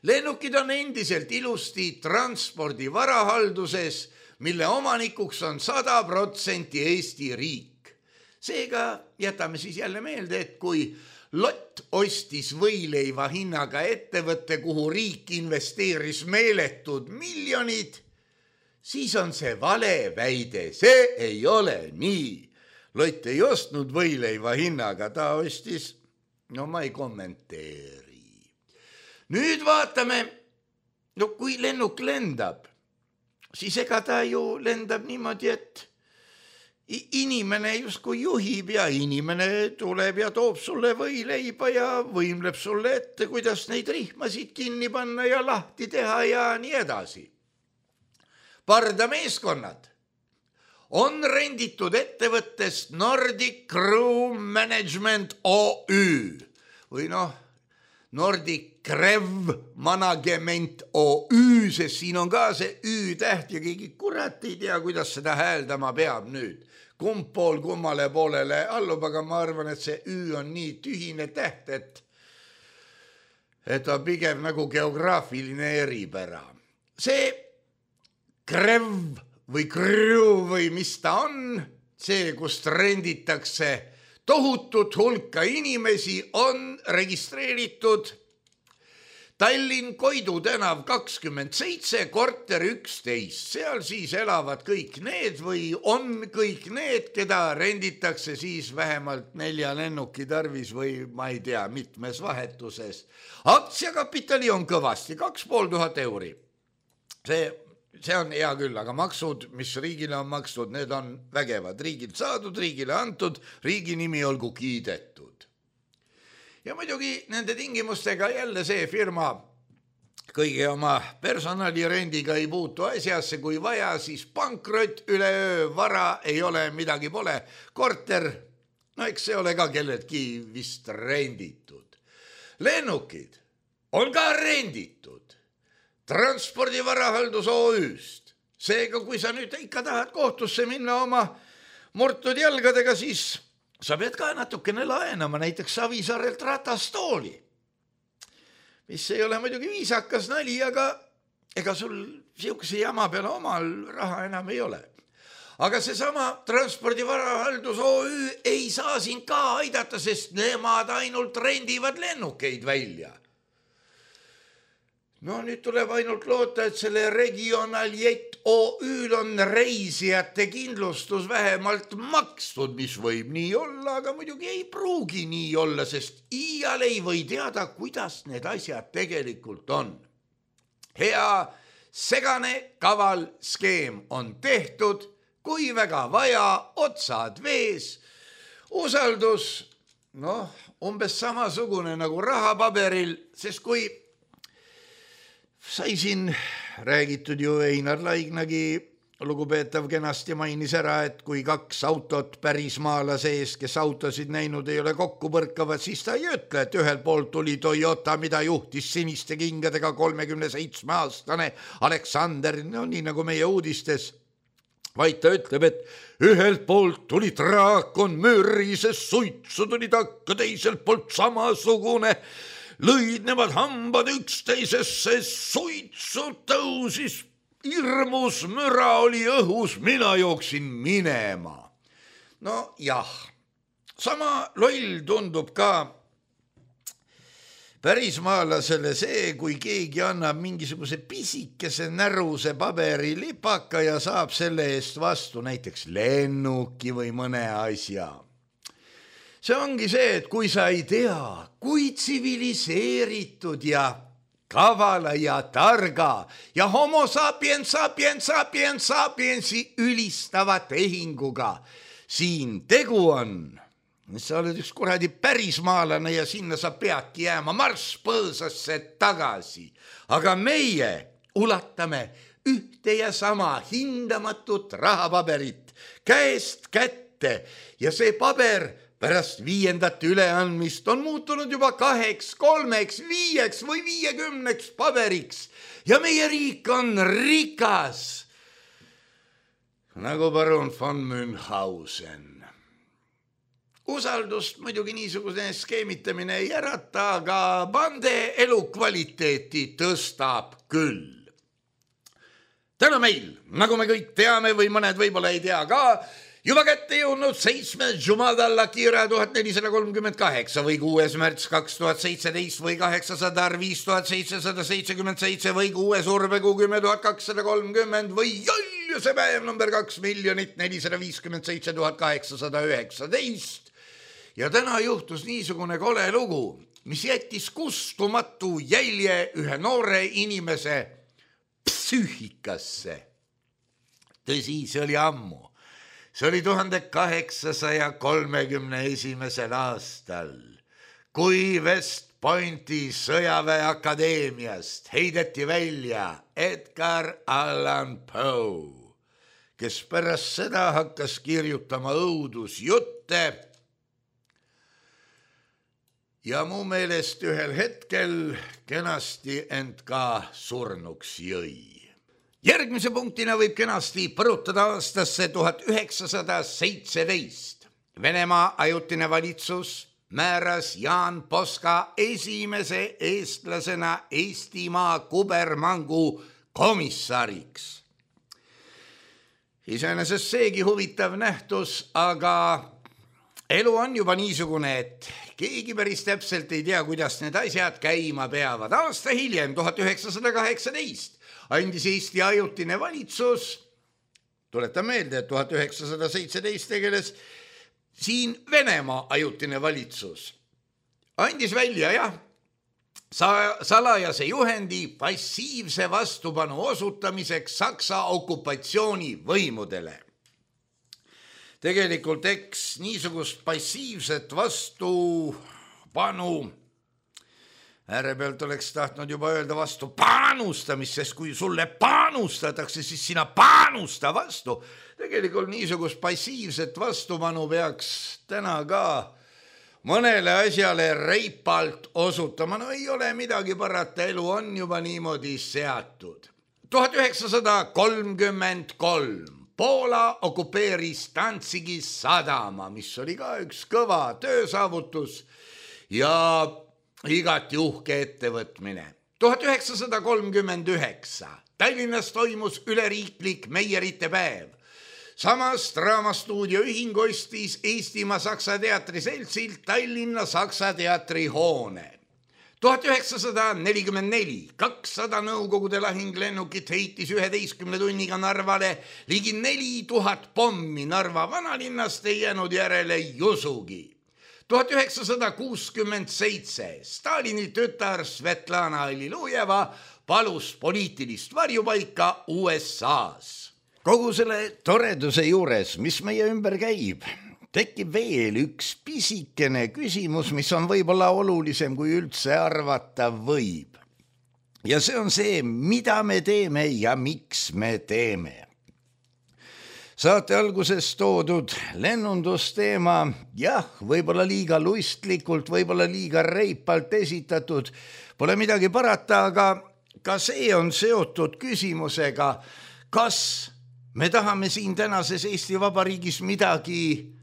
Lennukid on endiselt ilusti transpordi varahalduses, mille omanikuks on 100% Eesti riik. Seega jätame siis jälle meelde, et kui Lott ostis võileiva hinnaga ettevõtte, kuhu riik investeeris meeletud miljonid, siis on see vale väide. See ei ole nii. Lott ei ostnud võileiva hinnaga, ta ostis, no ma ei kommenteeri. Nüüd vaatame, no kui lennuk lendab, siis ega ta ju lendab niimoodi, et inimene justkui juhib ja inimene tuleb ja toob sulle võileiba ja võimleb sulle ette, kuidas neid rihmasid kinni panna ja lahti teha ja nii edasi. Pardameeskonnad on renditud ettevõttest Nordic Crew Management OÜ või Nordic Crew Management OÜ, sest siin on ka see Ü-täht ja keegi kurat ei tea, kuidas seda hääldama peab nüüd. Kumb pool kummale poolele allub, aga ma arvan, et see Ü on nii tühine täht, et on pigem nagu geograafiline eripära. See Crew või Crew või mis ta on, see, kust renditakse tohutut hulka inimesi, on registreeritud Tallinn Koidu tänav 27, korter 11, seal siis elavad kõik need või on kõik need, keda renditakse siis vähemalt 4 lennuki tarvis või ma ei tea, mitmes vahetuses. Aktsiakapitali on kõvasti, 2500 euri. See on hea küll, aga maksud, mis riigile on makstud, need on vägevad. Riigilt saadud, riigile antud, riigi nimi olgu kiidetud. Ja muidugi nende tingimustega jälle see firma kõige oma personalirendiga ei puutu asjasse, kui vaja, siis pankrot üleöö, vara ei ole, midagi pole, korter, no eks see ole ka kelleltki vist renditud. Lennukid on ka renditud Transpordivarahaldus OÜ-st. Seega, kui sa nüüd ikka tahad kohtusse minna oma murtud jalgadega, siis sa pead ka natukene laenama näiteks Savisaarelt ratastooli, mis ei ole muidugi viisakas nali, aga ega sul siukse jama peale omal raha enam ei ole. Aga seesama Transpordivarahaldus OÜ ei saa sind ka aidata, sest nemad ainult rendivad lennukeid välja. No nüüd tuleb ainult loota, et selle Regionaljet OÜ-l on reisijate kindlustus vähemalt makstud, mis võib nii olla, aga muidugi ei pruugi nii olla, sest iial ei või teada, kuidas need asjad tegelikult on. Hea segane kaval skeem on tehtud, kui väga vaja, otsad vees, usaldus, umbes samasugune nagu rahapaberil, sest kui sai siin räägitud ju Einar Laignagi, lugupeetav kenasti mainis ära, et kui 2 autot pärismaala sees, kes autosid näinud ei ole kokku põrkavad, siis ta ei ütle, et ühel poolt tuli Toyota, mida juhtis siniste kingadega 37-aastane Aleksander, no nii nagu meie uudistes, vaid ta ütleb, et ühelt poolt tuli draakon mürrises suitsu, tuli takka teiselt poolt samasugune, lõid nemad hambad üksteisesse, suitsu tõusis, hirmus müra oli õhus, mina jooksin minema. No jah, sama loll tundub ka pärismaalasele see, kui keegi annab mingisuguse pisikese näruse paberilipaka ja saab selle eest vastu näiteks lennuki või mõne asja. See ongi see, et kui sa ei tea, kui tsiviliseeritud ja kavala ja targa ja homo sapiensi ülistava tehinguga siin tegu on, sa oled üks kuradi pärismaalane ja sinna sa peadki jääma marss põõsasse tagasi. Aga meie ulatame ühte ja sama hindamatut rahapaberit käest kätte ja see paber pärast 5. üleandmist on muutunud juba 2, 3, 5 või 50 paberiks ja meie riik on rikas, nagu baron von Münchhausen. Usaldust muidugi niisugune skeemitamine ei ärata, aga bande elukvaliteeti tõstab küll. Täna meil, nagu me kõik teame või mõned võib-olla ei tea ka, juba kätte jõudnud 7. Jumadalla Kira 1438 või 6. märts 2017 või 800 5777 või 6. urvekuu 10 230 või jolluse päev number 2 457 819. Ja täna juhtus niisugune kole lugu, mis jättis kustumatu jälje ühe noore inimese psüühikasse. Tõsi, see oli ammu. See oli 1831. aastal, kui West Pointi sõjaväeakadeemiast heideti välja Edgar Allan Poe, kes pärast seda hakkas kirjutama õudusjutte ja mu meelest ühel hetkel kenasti end ka surnuks jõi. Järgmise punktina võib kenasti põrutada aastasse 1917. Venemaa ajutine valitsus määras Jaan Poska esimese eestlasena Eestimaa kubermangu komissariks. Iseenesest seegi huvitav nähtus, aga elu on juba niisugune, et keegi päris täpselt ei tea, kuidas need asjad käima peavad. Aasta hiljem, 1918, andis Eesti ajutine valitsus, tuletan meelde, et 1917 tegeles siin Venemaa ajutine valitsus, andis välja salajase juhendi passiivse vastupanu osutamiseks Saksa okupatsioonivõimudele. Tegelikult niisugust passiivset vastupanu, äärepealt oleks tahtnud juba öelda vastu panustamist, sest kui sulle panustatakse, siis sina panusta vastu. Tegelikult niisugust passiivset vastupanu peaks täna ka mõnele asjale reipalt osutama. No ei ole midagi parata, elu on juba niimoodi seatud. 1933 Poola okupeeris Danzigi sadama, mis oli ka üks kõva töösaavutus ja igati uhke ettevõtmine. 1939 Tallinnas toimus üleriiklik meierite päev. Samast Draamastuudio ühing ostis Eestimaa Saksa Teatri seltsilt Tallinna Saksa Teatri hoone. 1944 200 Nõukogude lahinglennukit heitis 11 tunniga Narvale ligi 4000 pommi. Narva vanalinnast ei jäänud järele jusugi. 1967 Stalini tütar Svetlana Allilujeva palus poliitilist varjupaika USA-s. Kogu selle toreduse juures, mis meie ümber käib, tekib veel üks pisikene küsimus, mis on võib-olla olulisem kui üldse arvata võib. Ja see on see, mida me teeme ja miks me teeme. Saate alguses toodud lennundusteema, võib-olla liiga lustlikult, võib-olla liiga reipalt esitatud, pole midagi parata, aga ka see on seotud küsimusega, kas me tahame siin tänases Eesti Vabariigis midagi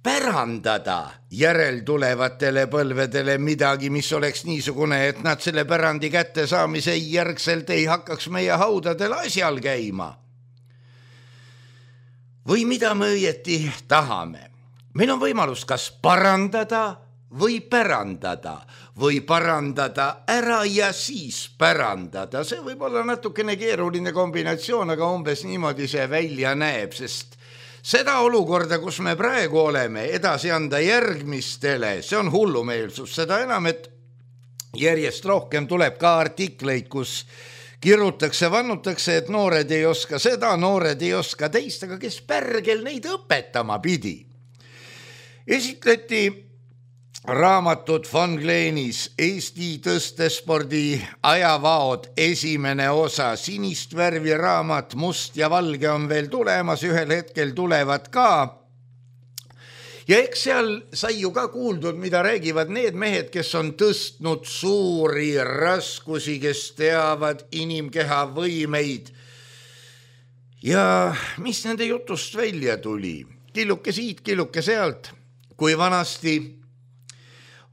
pärandada järeltulevatele põlvedele, midagi, mis oleks niisugune, et nad selle pärandi kätte saamise järgselt ei hakkaks meie haudadel asjal käima. Või mida me õieti tahame? Meil on võimalus kas parandada või pärandada või parandada ära ja siis pärandada. See võib olla natukene keeruline kombinatsioon, aga umbes niimoodi see välja näeb, sest seda olukorda, kus me praegu oleme, edasi anda järgmistele, see on hullumeelsus. Seda enam, et järjest rohkem tuleb ka artikleid, kus kirutakse, vannutakse, et noored ei oska seda, noored ei oska teist, aga kes pärgel neid õpetama pidi. Esitleti raamatut von Gleenis Eesti tõstespordi ajavaod esimene osa, sinist värvi raamat, must ja valge on veel tulemas, ühel hetkel tulevad ka. Ja eks seal sai ju ka kuuldud, mida räägivad need mehed, kes on tõstnud suuri raskusi, kes teavad inimkeha võimeid. Ja mis nende jutust välja tuli? Killuke siit, killuke sealt, kui vanasti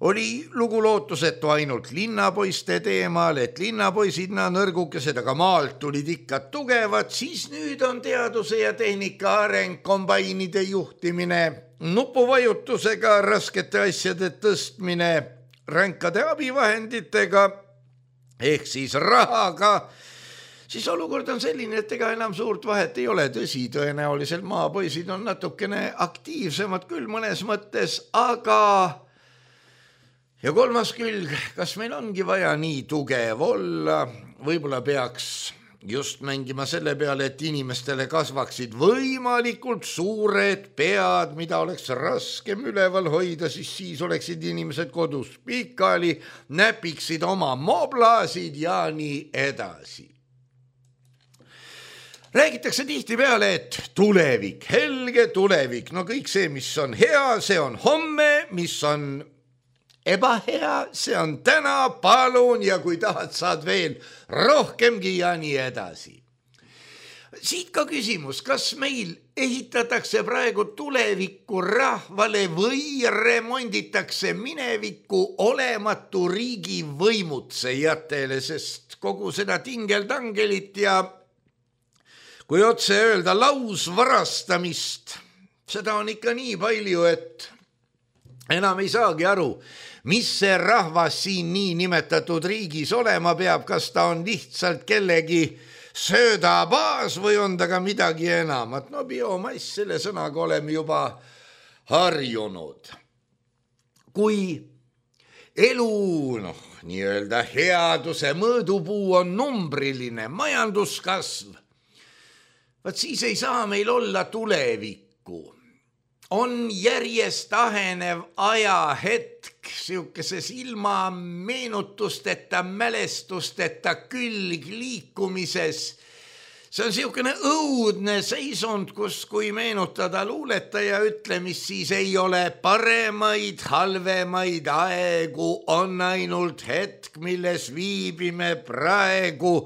oli lugu lootusetu ainult linnapoiste teemal, et linnapoisid nõrgukesed, aga maalt tulid ikka tugevad, siis nüüd on teaduse ja tehnika areng, kombainide juhtimine, nupuvajutusega raskete asjade tõstmine, ränkade abivahenditega ehk siis rahaga, siis olukord on selline, et ega enam suurt vahet ei ole. Tõsi, tõenäoliselt maapoisid on natukene aktiivsemad küll mõnes mõttes, aga ja kolmas külg, kas meil ongi vaja nii tugev olla, võib-olla peaks just mängima selle peale, et inimestele kasvaksid võimalikult suured pead, mida oleks raskem üleval hoida, siis oleksid inimesed kodus pikali, näpiksid oma moblaasid ja nii edasi. Räägitakse tihti peale, et tulevik, helge tulevik, no kõik see, mis on hea, see on homme, mis on ebahea, see on täna, palun, ja kui tahad, saad veel rohkemgi ja nii edasi. Siit ka küsimus, kas meil ehitatakse praegu tulevikku rahvale või remonditakse minevikku olematu riigi võimutsejatele, sest kogu seda tingeltangelit ja kui otse öelda lausvarastamist, seda on ikka nii palju, et enam ei saagi aru, mis see rahvas siin nii nimetatud riigis olema peab, kas ta on lihtsalt kellegi söödabaas või on ta ka midagi enamat. No biomass, selle sõnaga oleme juba harjunud. Kui elu, nii-öelda headuse mõõdupuu on numbriline majanduskasv, vaat siis ei saa meil olla tulevikku. On järjest ahenev ajahetk, siukeses ilma meenutusteta, mälestusteta külg liikumises. See on siukene õudne seisund, kus kui meenutada luuletaja ütlemist, siis ei ole paremaid, halvemaid aegu, on ainult hetk, milles viibime praegu.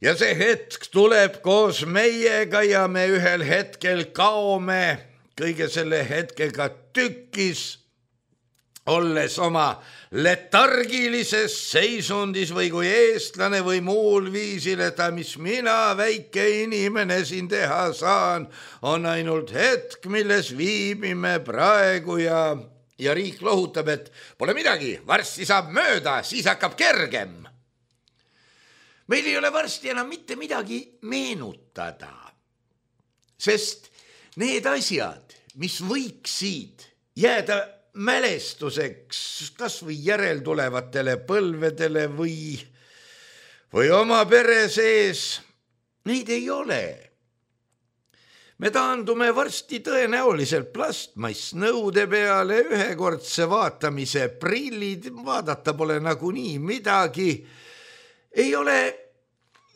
Ja see hetk tuleb koos meiega ja me ühel hetkel kaome kõige selle hetkega tükkis, olles oma letargilises seisundis või kui eestlane või muul viisil, et mis mina, väike inimene, siin teha saan, on ainult hetk, milles viibime praegu ja riik lohutab, et pole midagi, varsti saab mööda, siis hakkab kergem. Meil ei ole varsti enam mitte midagi meenutada, sest need asjad, mis võiksid jääda mälestuseks kas või järeltulevatele põlvedele või oma pere sees, neid ei ole. Me taandume varsti tõenäoliselt plastmassnõude peale, ühekordse vaatamise prillid, vaadata pole nagunii midagi, ei ole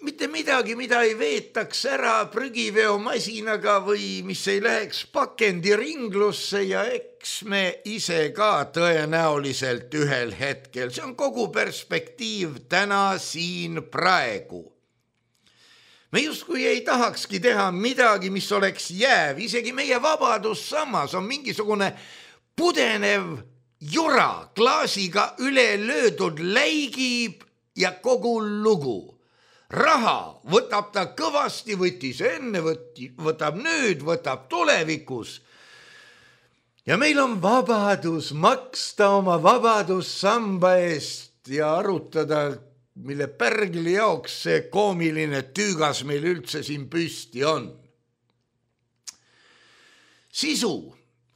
mitte midagi, mida ei veetaks ära prügiveomasinaga või mis ei läheks pakendiringlusse ja eks me ise ka tõenäoliselt ühel hetkel. See on kogu perspektiiv täna siin praegu. Me justkui ei tahakski teha midagi, mis oleks jääv. Isegi meie vabadussammas on mingisugune pudenev jura, klaasiga üle löödud, läigib ja kogu lugu. Raha võtab ta kõvasti, võttis enne, võtab nüüd, võtab tulevikus. Ja meil on vabadus maksta oma vabadussamba eest ja arutada, mille pärgli jaoks see koomiline tüügas meil üldse siin püsti on. Sisu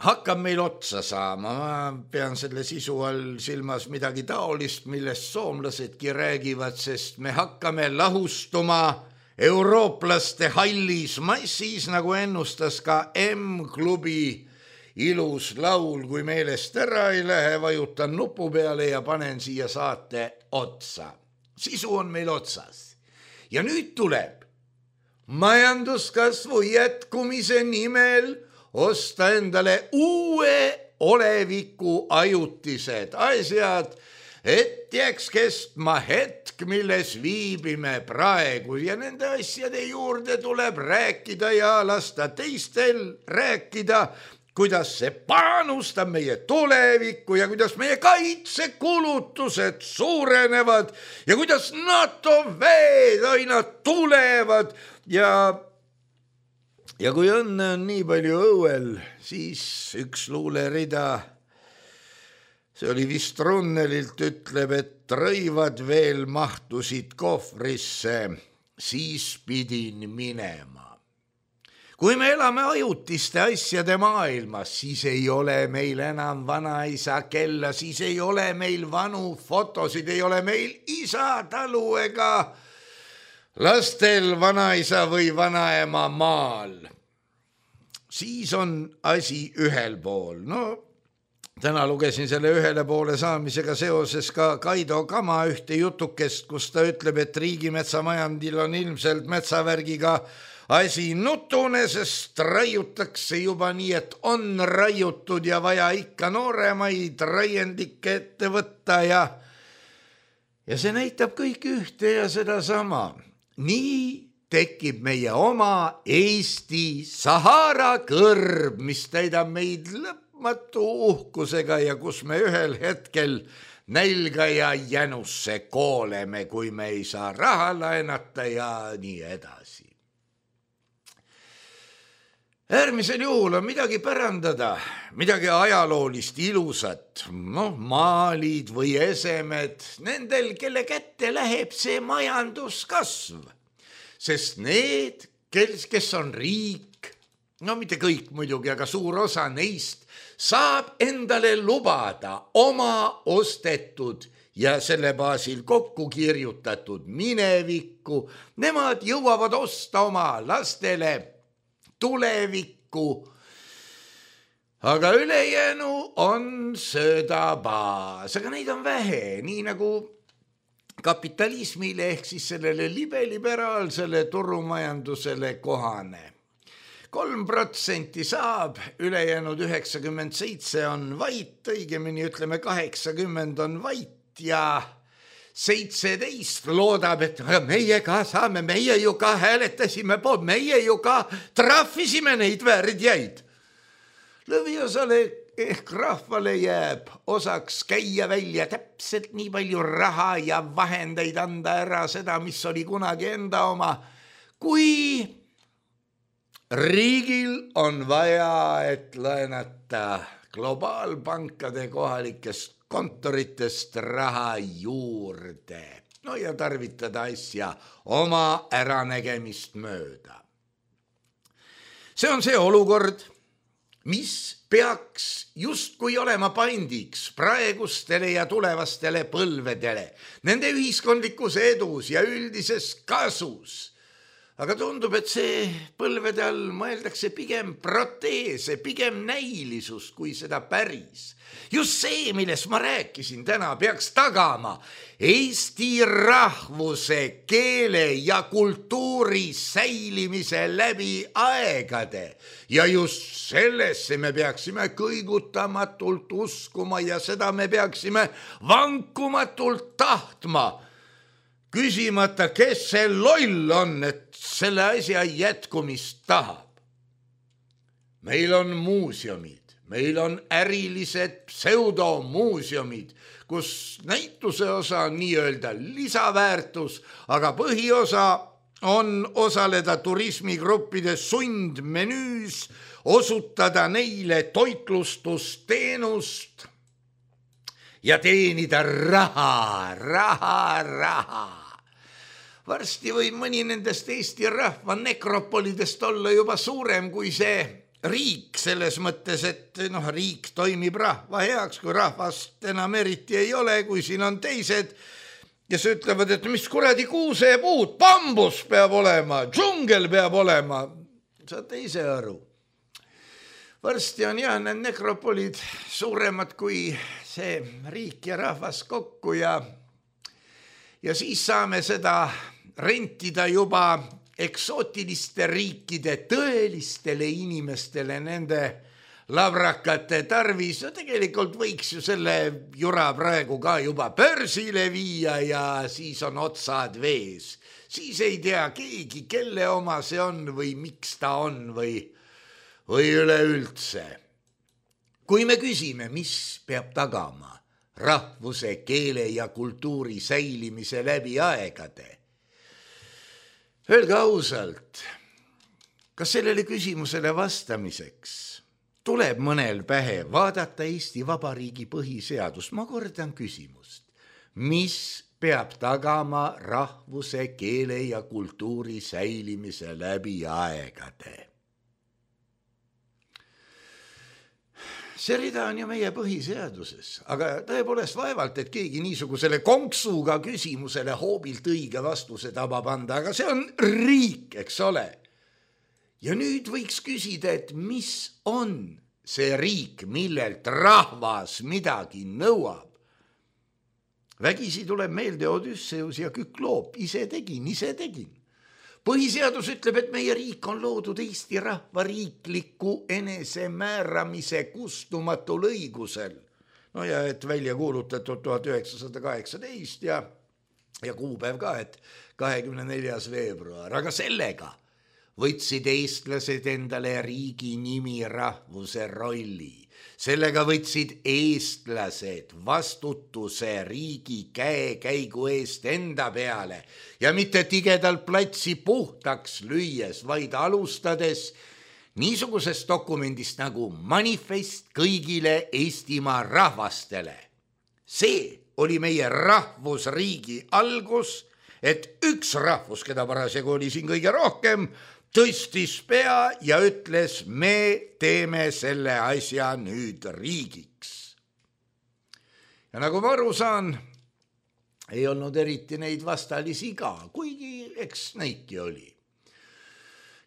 hakkab meil otsa saama, ma pean selle sisu all silmas midagi taolist, millest soomlasedki räägivad, sest me hakkame lahustuma eurooplaste hallis massis, nagu ennustas ka M-klubi ilus laul, kui meelest ära ei lähe, vajutan nupu peale ja panen siia saate otsa. Sisu on meil otsas. Ja nüüd tuleb majanduskasvu jätkumise nimel osta endale uue oleviku ajutised asjad, et jääks kestma hetk, milles viibime praegu ja nende asjade juurde tuleb rääkida ja lasta teistel rääkida, kuidas see panustab meie tulevikku ja kuidas meie kaitsekulutused suurenevad ja kuidas NATO väed aina tulevad ja kui õnne on nii palju õuel, siis üks luulerida, see oli vist Runnelilt, ütleb, et rõivad veel mahtusid kohvrisse, siis pidin minema. Kui me elame ajutiste asjade maailmas, siis ei ole meil enam vanaisa kella, siis ei ole meil vanu fotosid, ei ole meil isa talu ega lastel vanaisa või vanaema maal. Siis on asi ühel pool. No, täna lugesin selle ühele poole saamisega seoses ka Kaido Kama ühte jutukest, kus ta ütleb, et riigimetsamajandil on ilmselt metsavärgiga asi nutune, sest raiutakse juba nii, et on raiutud ja vaja ikka nooremaid raiendikke ette võtta ja see näitab kõik ühte ja seda sama. Nii tekib meie oma Eesti Sahara kõrb, mis täidab meid lõpmatu uhkusega ja kus me ühel hetkel nälga ja jänusse kooleme, kui me ei saa raha laenata ja nii edasi. Äärmisel juhul on midagi pärandada, midagi ajaloolist ilusat, maalid või esemed, nendel, kelle kätte läheb see majanduskasv. Sest need, kes on riik, mitte kõik muidugi, aga suur osa neist, saab endale lubada oma ostetud ja selle baasil kokku kirjutatud minevikku. Nemad jõuavad osta oma lastele tulevikku, aga ülejäänu on söödabaas, aga neid on vähe, nii nagu kapitalismile ehk siis sellele liberaalsele turumajandusele kohane. 3% saab, ülejäänud 97 on vait, õigemini ütleme 80 on vait ja 17 loodab, et meie ka saame, meie ju ka hääletasime poolt, meie ju ka trahvisime neid värdjaid. Lõviosale ehk rahvale jääb osaks käia välja täpselt nii palju raha ja vahendeid anda ära seda, mis oli kunagi enda oma, kui riigil on vaja, et laenata globaalpankade kohalikest kontoritest raha juurde. No ja tarvitada asja oma äranägemist mööda. See on see olukord, mis peaks justkui olema pandiks praegustele ja tulevastele põlvedele, nende ühiskondlikus edus ja üldises kasus. Aga tundub, et see põlvede all mõeldakse pigem proteese, pigem näilisus kui seda päris. Just see, millest ma rääkisin täna, peaks tagama Eesti rahvuse, keele ja kultuuri säilimise läbi aegade. Ja just sellesse me peaksime kõigutamatult uskuma ja seda me peaksime vankumatult tahtma. Küsimata, kes see loll on, et selle asja jätkumist tahab. Meil on muuseumid, meil on ärilised pseudomuuseumid, kus näituse osa on nii-öelda lisaväärtus, aga põhiosa on osaleda turismigruppide sundmenüüs, osutada neile toitlustusteenust ja teenida raha. Varsti võib mõni nendest Eesti rahva nekropolidest olla juba suurem kui see riik selles mõttes, et riik toimib rahva heaks, kui rahvast enam eriti ei ole, kui siin on teised, kes ütlevad, et mis kuradi kuusepuud, bambus peab olema, džungel peab olema. Saate ise aru. Varsti on need nekropolid suuremad kui see riik ja rahvas kokku ja siis saame seda rentida juba eksootiliste riikide tõelistele inimestele nende labrakate tarvis. No tegelikult võiks ju selle jura praegu ka juba börsile viia ja siis on otsad vees. Siis ei tea keegi, kelle oma see on või miks ta on või üleüldse. Kui me küsime, mis peab tagama rahvuse, keele ja kultuuri säilimise läbi aegade, öelge ausalt, kas sellele küsimusele vastamiseks tuleb mõnel pähe vaadata Eesti Vabariigi põhiseadust? Ma kordan küsimust. Mis peab tagama rahvuse, keele ja kultuuri säilimise läbi aegade? See rida on ju meie põhiseaduses, aga tõepoolest vaevalt, et keegi niisugusele konksuga küsimusele hoobilt õige vastuse tabab anda, aga see on riik, eks ole. Ja nüüd võiks küsida, et mis on see riik, millelt rahvas midagi nõuab. Vägisi tuleb meelde Odysseus ja Kükloop, ise tegin. Põhiseadus ütleb, et meie riik on loodud Eesti rahva riikliku enesemääramise kustumatul õigusel. No ja et välja kuulutatud 1918 ja kuupäev ka, et 24. veebruar. Aga sellega võtsid eestlased endale riigi nimi, rahvuse rolli. Sellega võtsid eestlased vastutuse riigi käekäigu eest enda peale ja mitte tigedalt platsi puhtaks lüües, vaid alustades niisugusest dokumendist nagu manifest kõigile Eestimaa rahvastele. See oli meie rahvusriigi algus, et üks rahvus, keda parasjagu oli siin kõige rohkem, tõstis pea ja ütles, me teeme selle asja nüüd riigiks. Ja nagu ma aru saan, ei olnud eriti neid vastalisi ka, kuigi eks neidki oli.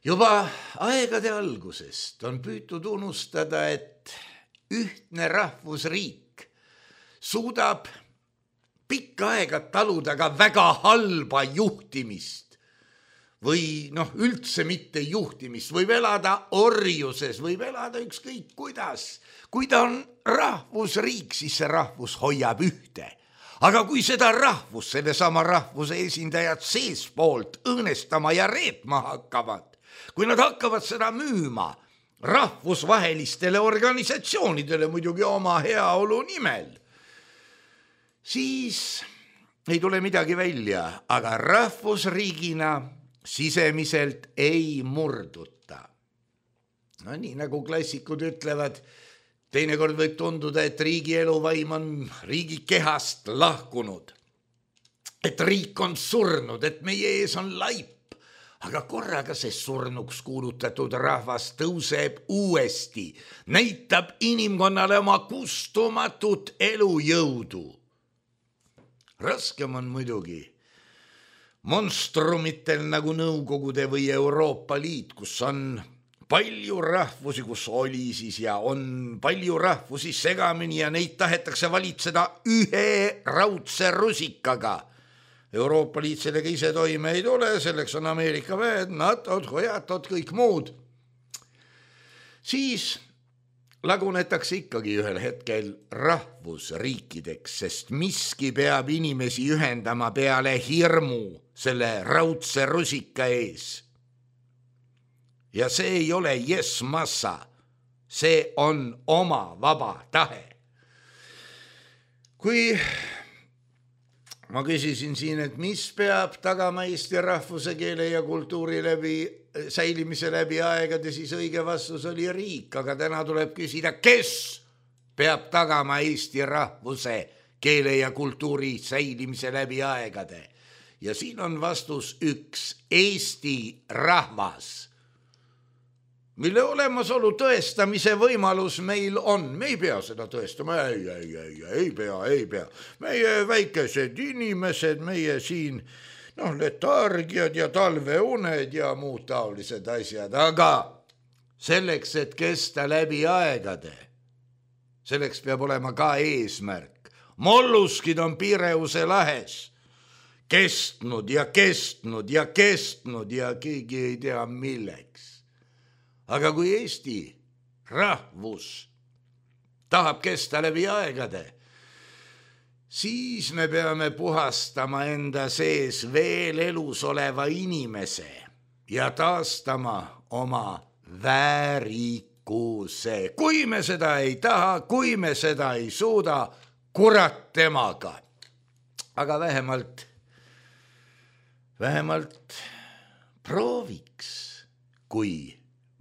Juba aegade algusest on püütud unustada, et ühtne rahvusriik suudab pikka aega taluda ka väga halba juhtimist või üldse mitte juhtimist, võib elada orjuses, võib elada ükskõik kuidas. Kui ta on rahvusriik, siis see rahvus hoiab ühte. Aga kui seda rahvus, selle sama rahvuse esindajad seespoolt õõnestama ja reetma hakkavad, kui nad hakkavad seda müüma rahvusvahelistele organisatsioonidele muidugi oma heaolu nimel, siis ei tule midagi välja, aga rahvusriigina sisemiselt ei murduta. Nii nagu klassikud ütlevad, teinekord võib tunduda, et riigi eluvaim on riigi kehast lahkunud, et riik on surnud, et meie ees on laip. Aga korraga see surnuks kuulutatud rahvas tõuseb uuesti, näitab inimkonnale oma kustumatut elujõudu. Raskem on muidugi monstrumitel nagu Nõukogude või Euroopa Liit, kus on palju rahvusi, kus oli siis ja on palju rahvusi segamini ja neid tahetakse valitseda ühe raudse rusikaga. Euroopa Liit sellega ise toime ei tule, selleks on Ameerika väed, NATO-d, hojatod, kõik muud. Siis lagunetakse ikkagi ühel hetkel rahvusriikideks, sest miski peab inimesi ühendama peale hirmu selle raudse rusika ees. Ja see ei ole yes-massa, see on oma vaba tahe. Kui ma küsisin siin, et mis peab tagama Eesti rahvuse, keele ja kultuuri säilimise läbi aegade, siis õige vastus oli riik, aga täna tuleb küsida, kes peab tagama Eesti rahvuse, keele ja kultuuri säilimise läbi aegade. Ja siin on vastus üks, Eesti rahvas, mille olemasolu tõestamise võimalus meil on. Me ei pea seda tõestama, ei pea. Meie väikesed inimesed, meie siin letargiad ja talveuned ja muud taolised asjad, aga selleks, et kesta läbi aegade, selleks peab olema ka eesmärk. Molluskid on Pireuse lahes kestnud ja keegi ei tea milleks. Aga kui Eesti rahvus tahab kesta läbi aegade, siis me peame puhastama enda sees veel elus oleva inimese ja taastama oma väärikuse. Kui me seda ei taha, kui me seda ei suuda, kurat temaga. Aga vähemalt prooviks, kui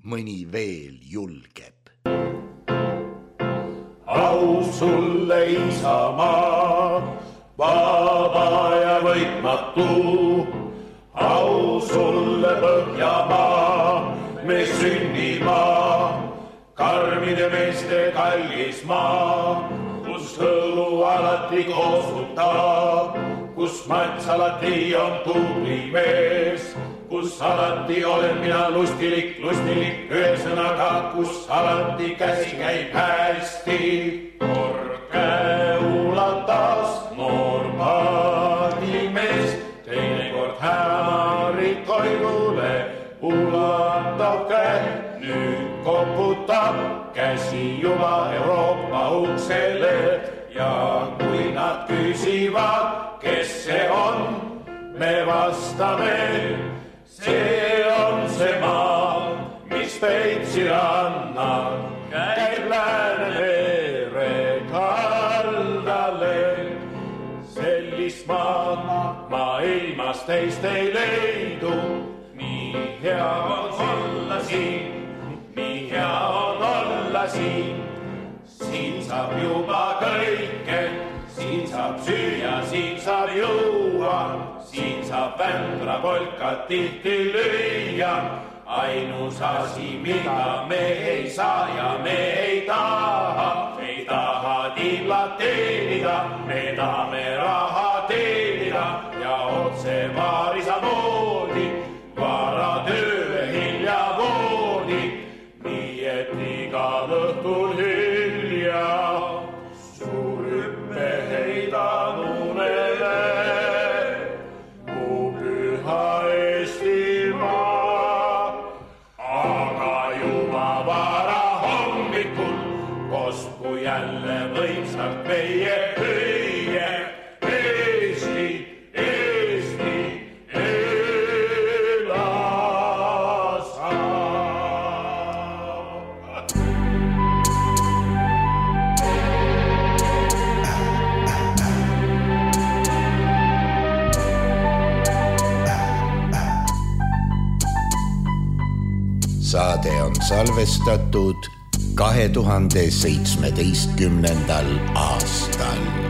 mõni veel julgeb. Au sulle Isamaa, vaba ja võitmatu. Au sulle Põhjamaa, me sünnimaa, karmide meeste kallis maa, kus hõlu alati koosutab, kus mats alati on tubli mees, kus alati olen mina lustilik, ühesõnaga, kus alati käsi käib hästi. Kord käe ulatas noor paadimees, teinekord hämarid koidule ulatab käe, nüüd koputab käsi juba Euroopa uksele ja kui nad küsivad, kes see on, me vastame, see on see maa, mis Peipsi rannal käib Läänemere kaldale. Sellist maad maailmas teist ei leidu, nii hea on olla siin, siin saab juba kõike, siin saab süüa, siin saab juua, siin saab vändra polkat tihti lüüa. Ainus asi, mida me ei saa ja me ei taha tiiblat teenida, me tahame raha teenida ja otse vaarisa moodi, vara töö hilja voodi, nii et igal õhtul hilja suur hüppe heidan unele, mu püha Eestimaa. Aga juba vara hommikul kosku jälle võimsalt meie hüüe Eesti, Eesti, elasa. Saade on salvestatud 2017. aastal.